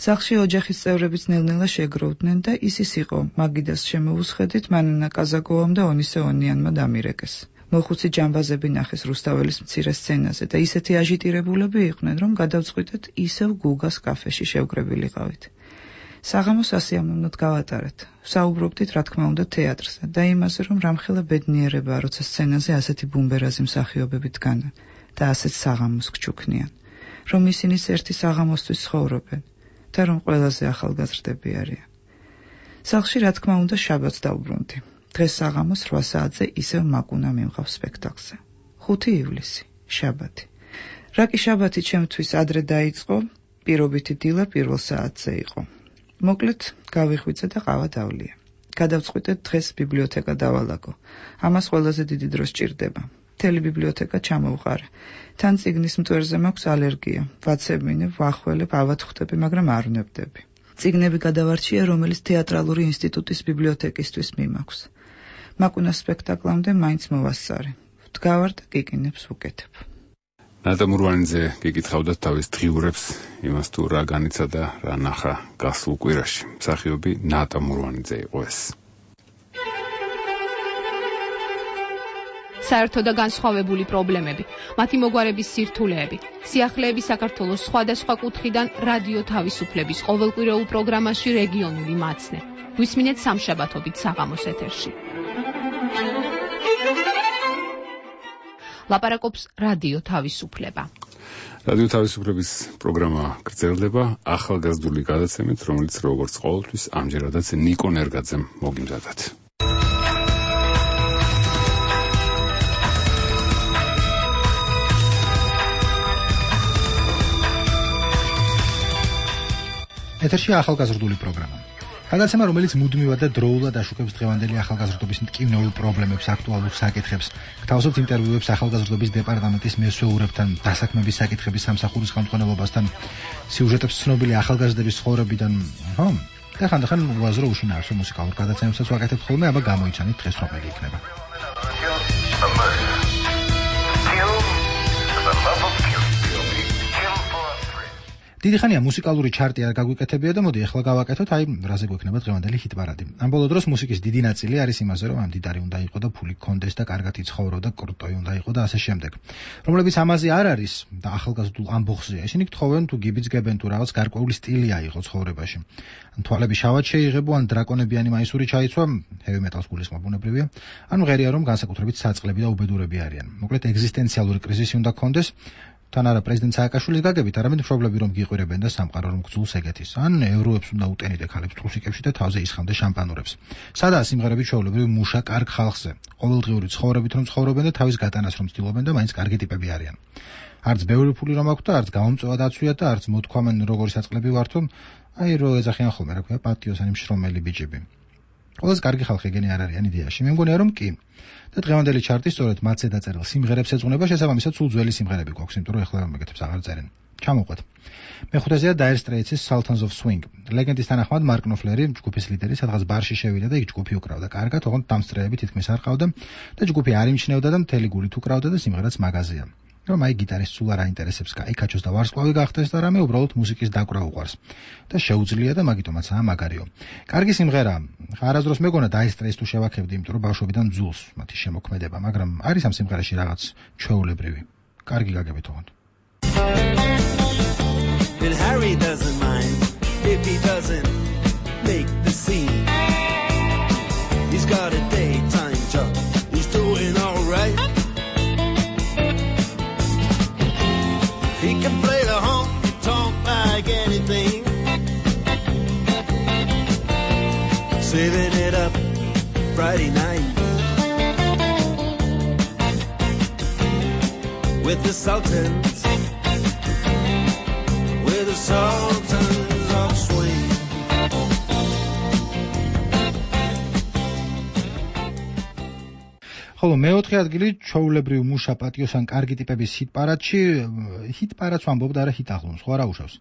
სახლში ოჯახის წევრებიც ნელ-ნელა შეგროვდნენ და ის იყო, მაგიდას შემოუსხედით, მანანა კაზაკოვამ და ონისე ონიანმა დამირეკეს. მოხუცი ჯამბაზები ნახეს რუსთაველის მცირე სცენაზე და ისეთი აჟიტირებულები იყვნენ, რომ გადავწყვიტეთ ისევ გუგას კაფეში შევკრებილიყავით. საღამოს ასიამოვნოდ გავატარეთ. საუბრობდით, რა თქმა უნდა, თეატრზე და იმაზე, რომ რამხელა ბედნიერებაა, როცა სცენაზე ასეთი ბუმბერაზი მსახიობები დგანან და ასეთ საღამოს გჩუქნიან, რომ ისინი ერთი საღამოსთვის ცხოვრობენ და რომ ყველაზე ახალგაზრდები არიან. სახლში, რა თქმა უნდა, შაბათს დავბრუნდი. დღეს საღამოს 8 საათზე ისევ მაკუნა მიმყავს სპექტაკლზე. 5 ივლისი, შაბათი. რა კი შაბათი ჩემთვის ადრე დაიწყო, პირობითი დილა პირველ საათზე იყო. მოკლედ, გავიხვიძე და ყავა დავლია. გადავწყვიტეთ დღეს ბიბლიოთეკა დავალაგო. ამას ყველაზე დიდი დრო სჭირდება. მთელი ბიბლიოთეკა ჩამოვყარე. თან წიგნის მტვერზე მაქვს ალერგია. ვაცემინებ, ვახველებ, ავათხხვდები, მაგრამ არ ვნებდები. წიგნები გადავარჩია, რომელიც თეატრალური ინსტიტუტის ბიბლიოთეკისთვის მიმაქვს. მაკუნას სპექტაკლამდე მაინც მოვასწარე. ვდგავარ და კიკინებს ვუკეთებ. ნატა მურვანიძე გიკითხავდათ თავის დღიურებს, იმას თუ რა განიცა და რა ნახა გასულ კვირაში. მსახიობი ნატა მურვანიძე იყო ეს. საერთო და განსხვავებული პრობლემები, მათი მოგვარების სირთულეები, სიახლეები საქართველოს სხვადასხვა კუთხიდან რადიო თავისუფლების ყოველკვირეულ პროგრამაში რეგიონული მაცნე. გვისმინეთ სამშაბათობით საღამოს ეთერში. ლაპარაკობს რადიო თავისუფლება. რადიო თავისუფლების პროგრამა გრძელდება ახალგაზრდული გადაცემით, რომელიც როგორც ყოველთვის ამჯერადაც ნიკო ნერგაძემ მოგიმზადათ. ეთერში ახალგაზრდული პროგრამა. გადაცემა, რომელიც მუდმივად და დროულად აშუქებს დღევანდელი ახალგაზრდობის მტკივნეულ პრობლემებს, აქტუალურ საკითხებს, გთავაზობთ ინტერვიუებს ახალგაზრდობის დეპარტამენტის მესვეურებთან, დასაქმების საკითხების სამსახურის ხელმძღვანელობასთან, სიუჟეტებს ცნობილი ახალგაზრდების ცხოვრებიდან, ხო? და ხანდახან უაზრო უშინაარსო მუსიკალურ გადაცემებსაც ვაკეთებთ ხოლმე, აბა გამოიცანით დღეს რომელი იქნება. დიდი ხანია მუსიკალური ჩარტი არ გაგვიკეთებია და მოდი ახლა გავაკეთოთ, რაზე გვექნება დღევანდელი ჰიტ-პარადი. ამ ბოლო დროს მუსიკის დიდი ნაწილი არის იმაზე, რომ მდიდარი უნდა იყო და ფული გქონდეს და კარგად იცხოვრო და კრუტოი უნდა იყო და ასე შემდეგ. რომლებიც ამაზე არ არის და ახალგაზრდულ ამბოხზეა, ისინი გთხოვენ თუ გიბიძგებენ თუ რაღაც გარკვეული სტილი აიღო ცხოვრებაში. თვალები შავად შეიღებო, ან დრაკონებიანი მაისური ჩაიცვა, heavy metal-ს გულისხმობ ბუნებრივია, ან მღერია რომ განსაკუთრებით საწყლები და უბედურები არიან. მოკლედ ეგზისტენციალური კრიზისი უნდა გქონდეს. თან არა პრეზიდენტ სააკაშვილის გაგებით, არამედ მშობლები რომ გიყვირებენ და სამყარო რომ გძულს ეგეთის, ან ევროებს უნდა უტენიდე ხალებს ტრუსიკებში და თავზე ისხამდე შამპანურებს. სადაა სიმღერები ჩვეულებრივი მუშა კარგ ხალხზე, ყოველდღიური ცხოვრებით რომ ცხოვრობენ და თავის გატანას რომ ცდილობენ და მაინც კარგი ტიპები არიან. არც ბევრი ფული რომ აქვთ და არც გამომწვევა დაცვიათ და არც მოთქვამენ როგორი საწყლები ვართო, რო ეძახიან ხოლმე რა ქვია პატიოსანი მშრომელი ბიჭები. ყველაზე კარგი ხალხი ეგენი არ არიან იდეაში. მე მგონია რომ კი. და დღევანდელი ჩარტი სწორედ მათზე დაწერილ სიმღერებს ეძღვნება, შესაბამისად სულ ძველი სიმღერები გვაქვს, იმიტომ რომ ეხლა მეგეთებს აღარ წერენ. ჩამოვყვეთ. მეხუთეზეა Dire Straits-ის Sultans of Swing. ლეგენდის თანახმად მარკ ნოფლერი, ჯგუფის ლიდერი, სადღაც ბარში შევიდა და იქ ჯგუფი უკრავდა. კარგად, ოღონდ დამსწრეები თითქმის არ ყავდა და ჯგუფი არ იმჩნევდა და მთელი გულით უკრავდა და სიმღერაც მაგაზია. რომ აი გიტარისტს სულ არ აინტერესებს კაიქაჩოს და ვარსკვლავი გახდეს და რამე უბრალოდ მუსიკის დაკვრა უყვარს და შეუძლია და მაგიტომაცაა მაგარიო. კარგი სიმღერა. არასდროს მეგონა Dire Straits-ს თუ შევაქებდი, იმიტომ რომ ბავშვობიდან ძულს მათი შემოქმედება, მაგრამ არის ამ სიმღერაში რაღაც ჩვეულებრივი. კარგი გაგებით ოღონდ. And Harry doesn't mind if he doesn't make the scene. He's got a daytime job. He's doing all right. He can play the honky-tonk like anything, saving it up Friday night with the Sultans, with the Sultans of Swing. ხოლო მეოთხე ადგილი ჩვეულებრივ მუშა პატიოსან კარგი ტიპების ჰიტ-პარადში, ჰიტ-პარადს ვამბობ და არა ჰიტ-აღლუმს, ხო არა უშავს.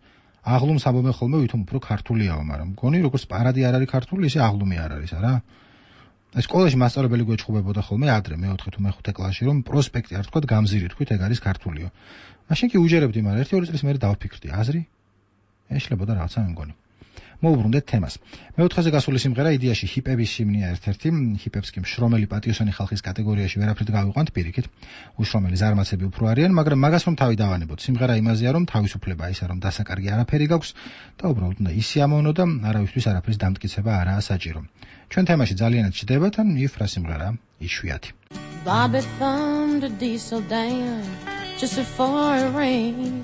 აღლუმს ამბობენ ხოლმე, ვითომ უფრო ქართულიაო, მაგრამ მგონი როგორც პარადი არ არის ქართული, ისე აღლუმი არ არის, არა? სკოლაში მასწავლებელი გვეჭხუბებოდა ხოლმე ადრე მეოთხე თუ მეხუთე კლასში, რომ პროსპექტი არ თქვა გამზირი თქვით, ეგ არის ქართულიო. მაშინ კი უჯერებდი, მაგრამ 1-2 წლის მერე დავფიქრდი, აზრი? ეშლებოდა რაღაცა მე მგონი. მოვუბრუნდეთ თემას. მეოთხეზე გასული სიმღერა იდეაში ჰიპების სიმნია ერთ-ერთი, ჰიპებს კი მშრომელი პატიოსანი ხალხის კატეგორიაში ვერაფრით გავიყვანთ პირიქით. უშრომელი ზარმაცები უფრო არიან, მაგრამ მაგას რომ თავი დავანებოთ. სიმღერა იმაზეა, რომ თავისუფლება ისა რომ დასაკარგი არაფერი გაქვს და უბრალოდ უნდა ისიამოვნო და არავისთვის არაფრის დამტკიცება არაა საჭირო. ჩვენ თემაში ძალიანაც ჩდება თან იფრა სიმღერა იშვიათი. Bobby thumbed a diesel down just before it rained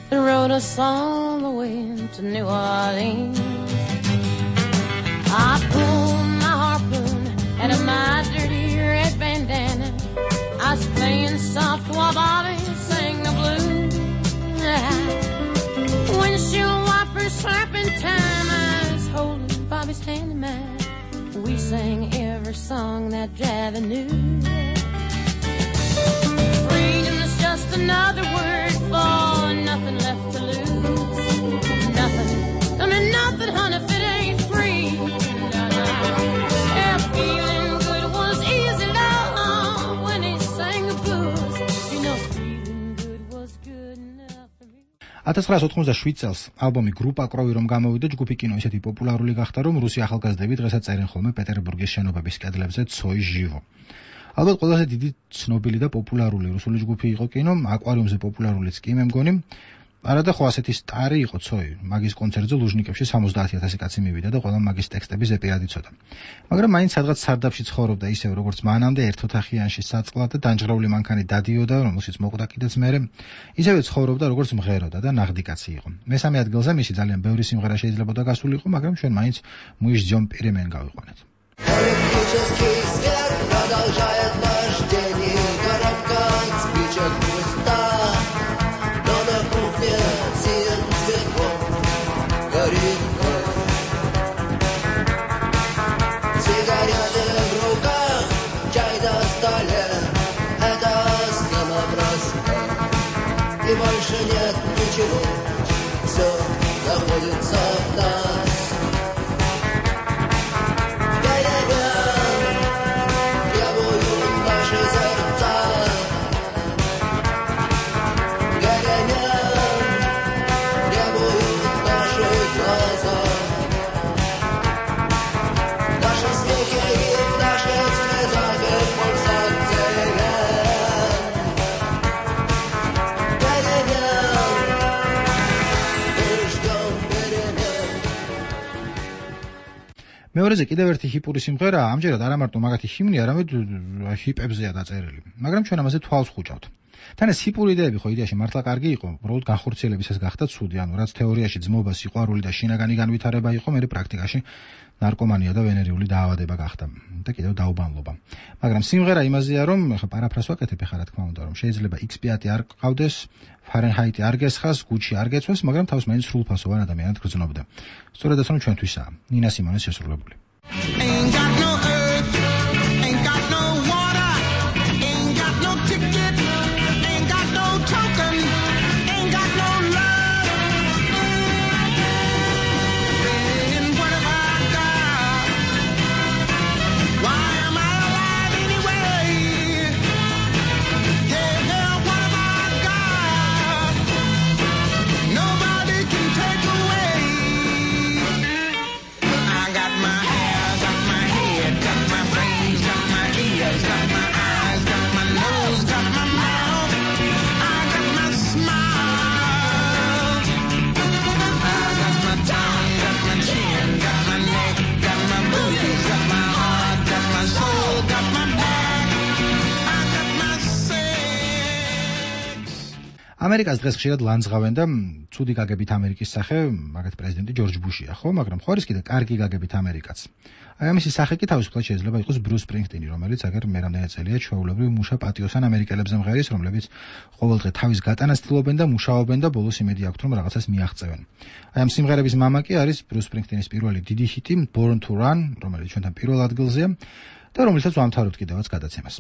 and rode us all the way to New Orleans. I pulled my harpoon out of my dirty red bandana. I was playing soft while Bobby sang the blues. Windshield wipers slapping time, I was holding Bobby's hand in mine. We sang every song that Javi knew. Freedom is just another word for nothing left to lose. Nothing, I mean nothing, honey, if it ain't free. Yeah, feeling good was easy, love, when he sang the blues. You know, feeling good was good enough for me. 1987 წელს ალბომი გრუპა კროვი რომ გამოვიდა, ჯგუფი კინო ისეთი პოპულარული გახდა, რომ რუსი ახალგაზრდები დღესაც წერენ ხოლმე პეტერბურგის შენობების კედლებზე ცოი ჟივო. ალბათ ყველაზე დიდი ცნობილი და პოპულარული რუსული ჯგუფი იყო კინო, აკვარიუმზე პოპულარულიც კი მე მგონი. არა და ხო ასეთი სტარი იყო ცოი. მაგის კონცერტზე ლუჟნიკებში 70,000 კაცი მივიდა და ყველა მაგის ტექსტები ზეპირად იცოდა. მაგრამ მაინც სადღაც სარდაფში ცხოვრობდა ისევ როგორც მანამდე ერთოთახიანში საწყლად და დანჯღრეული მანქანი დადიოდა, რომელშიც მოკვდა კიდეც მერე. ისევე ცხოვრობდა როგორც მღეროდა და ნაღდი კაცი იყო. მესამე ადგილზე მისი ძალიან ბევრი სიმღერა შეიძლებოდა გასულიყო, მაგრამ ჩვენ მაინც მუიშ ძიომ პირემენ გავიყვანეთ. Продолжает вождение коробка спичек пуста, но на кухне сидит светло, горит кровь. Сигареты в руках, чай на столе, это самопроста. И больше нет ничего, все находится в нас. მეორეზე კიდევ ერთი ჰიპური სიმღერა, ამჯერად არა მარტო მაგათი ჰიმნი, არამედ ჰიპებზეა დაწერილი. მაგრამ ჩვენ ამაზე თვალს ხუჭავთ. თან ეს ჰიპური იდეები ხო იდეაში მართლა კარგი იყო, უბრალოდ განხორციელებისას გახდა ცუდი, ანუ რაც თეორიაში ძმობა, სიყვარული და შინაგანი განვითარება იყო, მე პრაქტიკაში ნარკომანია და ვენერიული დაავადება გახდა და კიდევ დაუბანლობა. მაგრამ სიმღერა იმაზეა, რომ ხა პარაფრაზს ვაკეთებ ხა რა თქმა უნდა, რომ შეიძლება X5 არ ყავდეს, ფარენჰაიტი არ გესხას, გუჩი არ გეცვეს, მაგრამ თავს მაინც სრულფასოვან ადამიანად გრძნობდა. სწორედაც რომ ჩვენთვისაა. ნინა სიმონეს შესრულებული. Ain't got no earth, ain't got no water, ain't got no ticket, ain't got no token, ain't got no love. Then what have I got? Why am I alive anyway? Yeah, what have I got? Nobody can take away. I got my hair, got my head, got my brains, got my ears, got my eyes, got my nose, got my mouth. I got my smile. I got my tongue, got my chin, got my neck, got my booties, got my heart, got my soul, got my back. I got my sex. ამერიკას დღეს ხშირად ლანძღავენ და ცუდი გაგებით ამერიკის სახე, მაგათ პრეზიდენტი ჯორჯ ბუშია, ხო, მაგრამ ხო არის კიდე კარგი გაგებით ამერიკაც. აი ამისი სახე კი თავისუფლად შეიძლება იყოს ბრუს სპრინგსტინი, რომელიც აგერ მე რამდენიმე წელია ჩვეულებრივ მუშა პატიოსან ამერიკელებზე მღერის, რომლებიც ყოველდღე თავის გატანას ცდილობენ და მუშაობენ და ბოლოს იმედი აქვთ, რომ რაღაცას მიაღწევენ. აი ამ სიმღერების მამა კი არის ბრუს სპრინგსტინის პირველი დიდი ჰიტი Born to Run, რომელიც ჩვენთან პირველ ადგილზეა და რომელსაც ვამთავრებთ კიდევაც გადაცემას.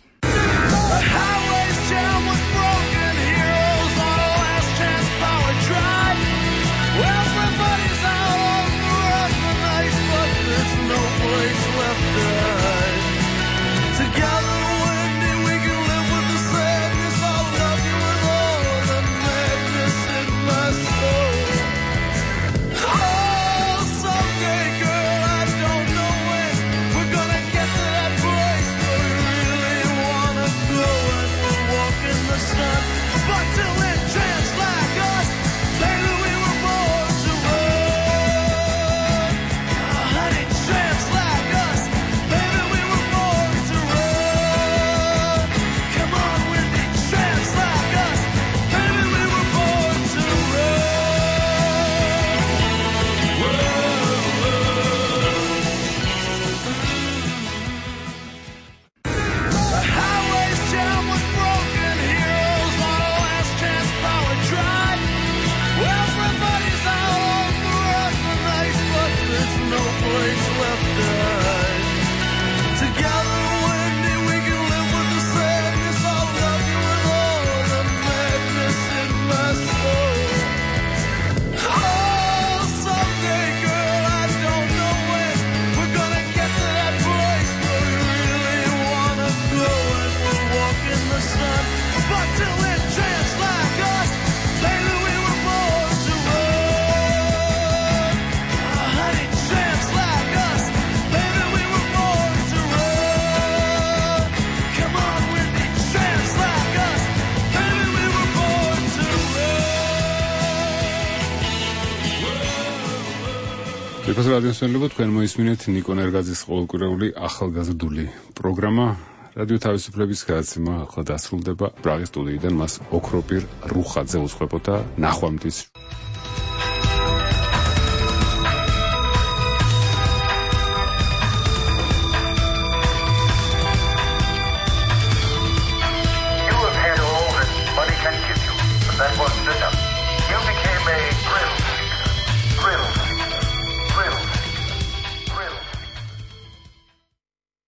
ფასო რადიოსმენლებო, თქვენ მოისმინეთ ნიკო ნერგაძის ყოველკვირეული ახალგაზრდული პროგრამა რადიო თავისუფლების გადაცემა ახლა დასრულდება. პრაღის სტუდიიდან მას ოქროპირ რუხაძე უძღვებოდა. ნახვამდის.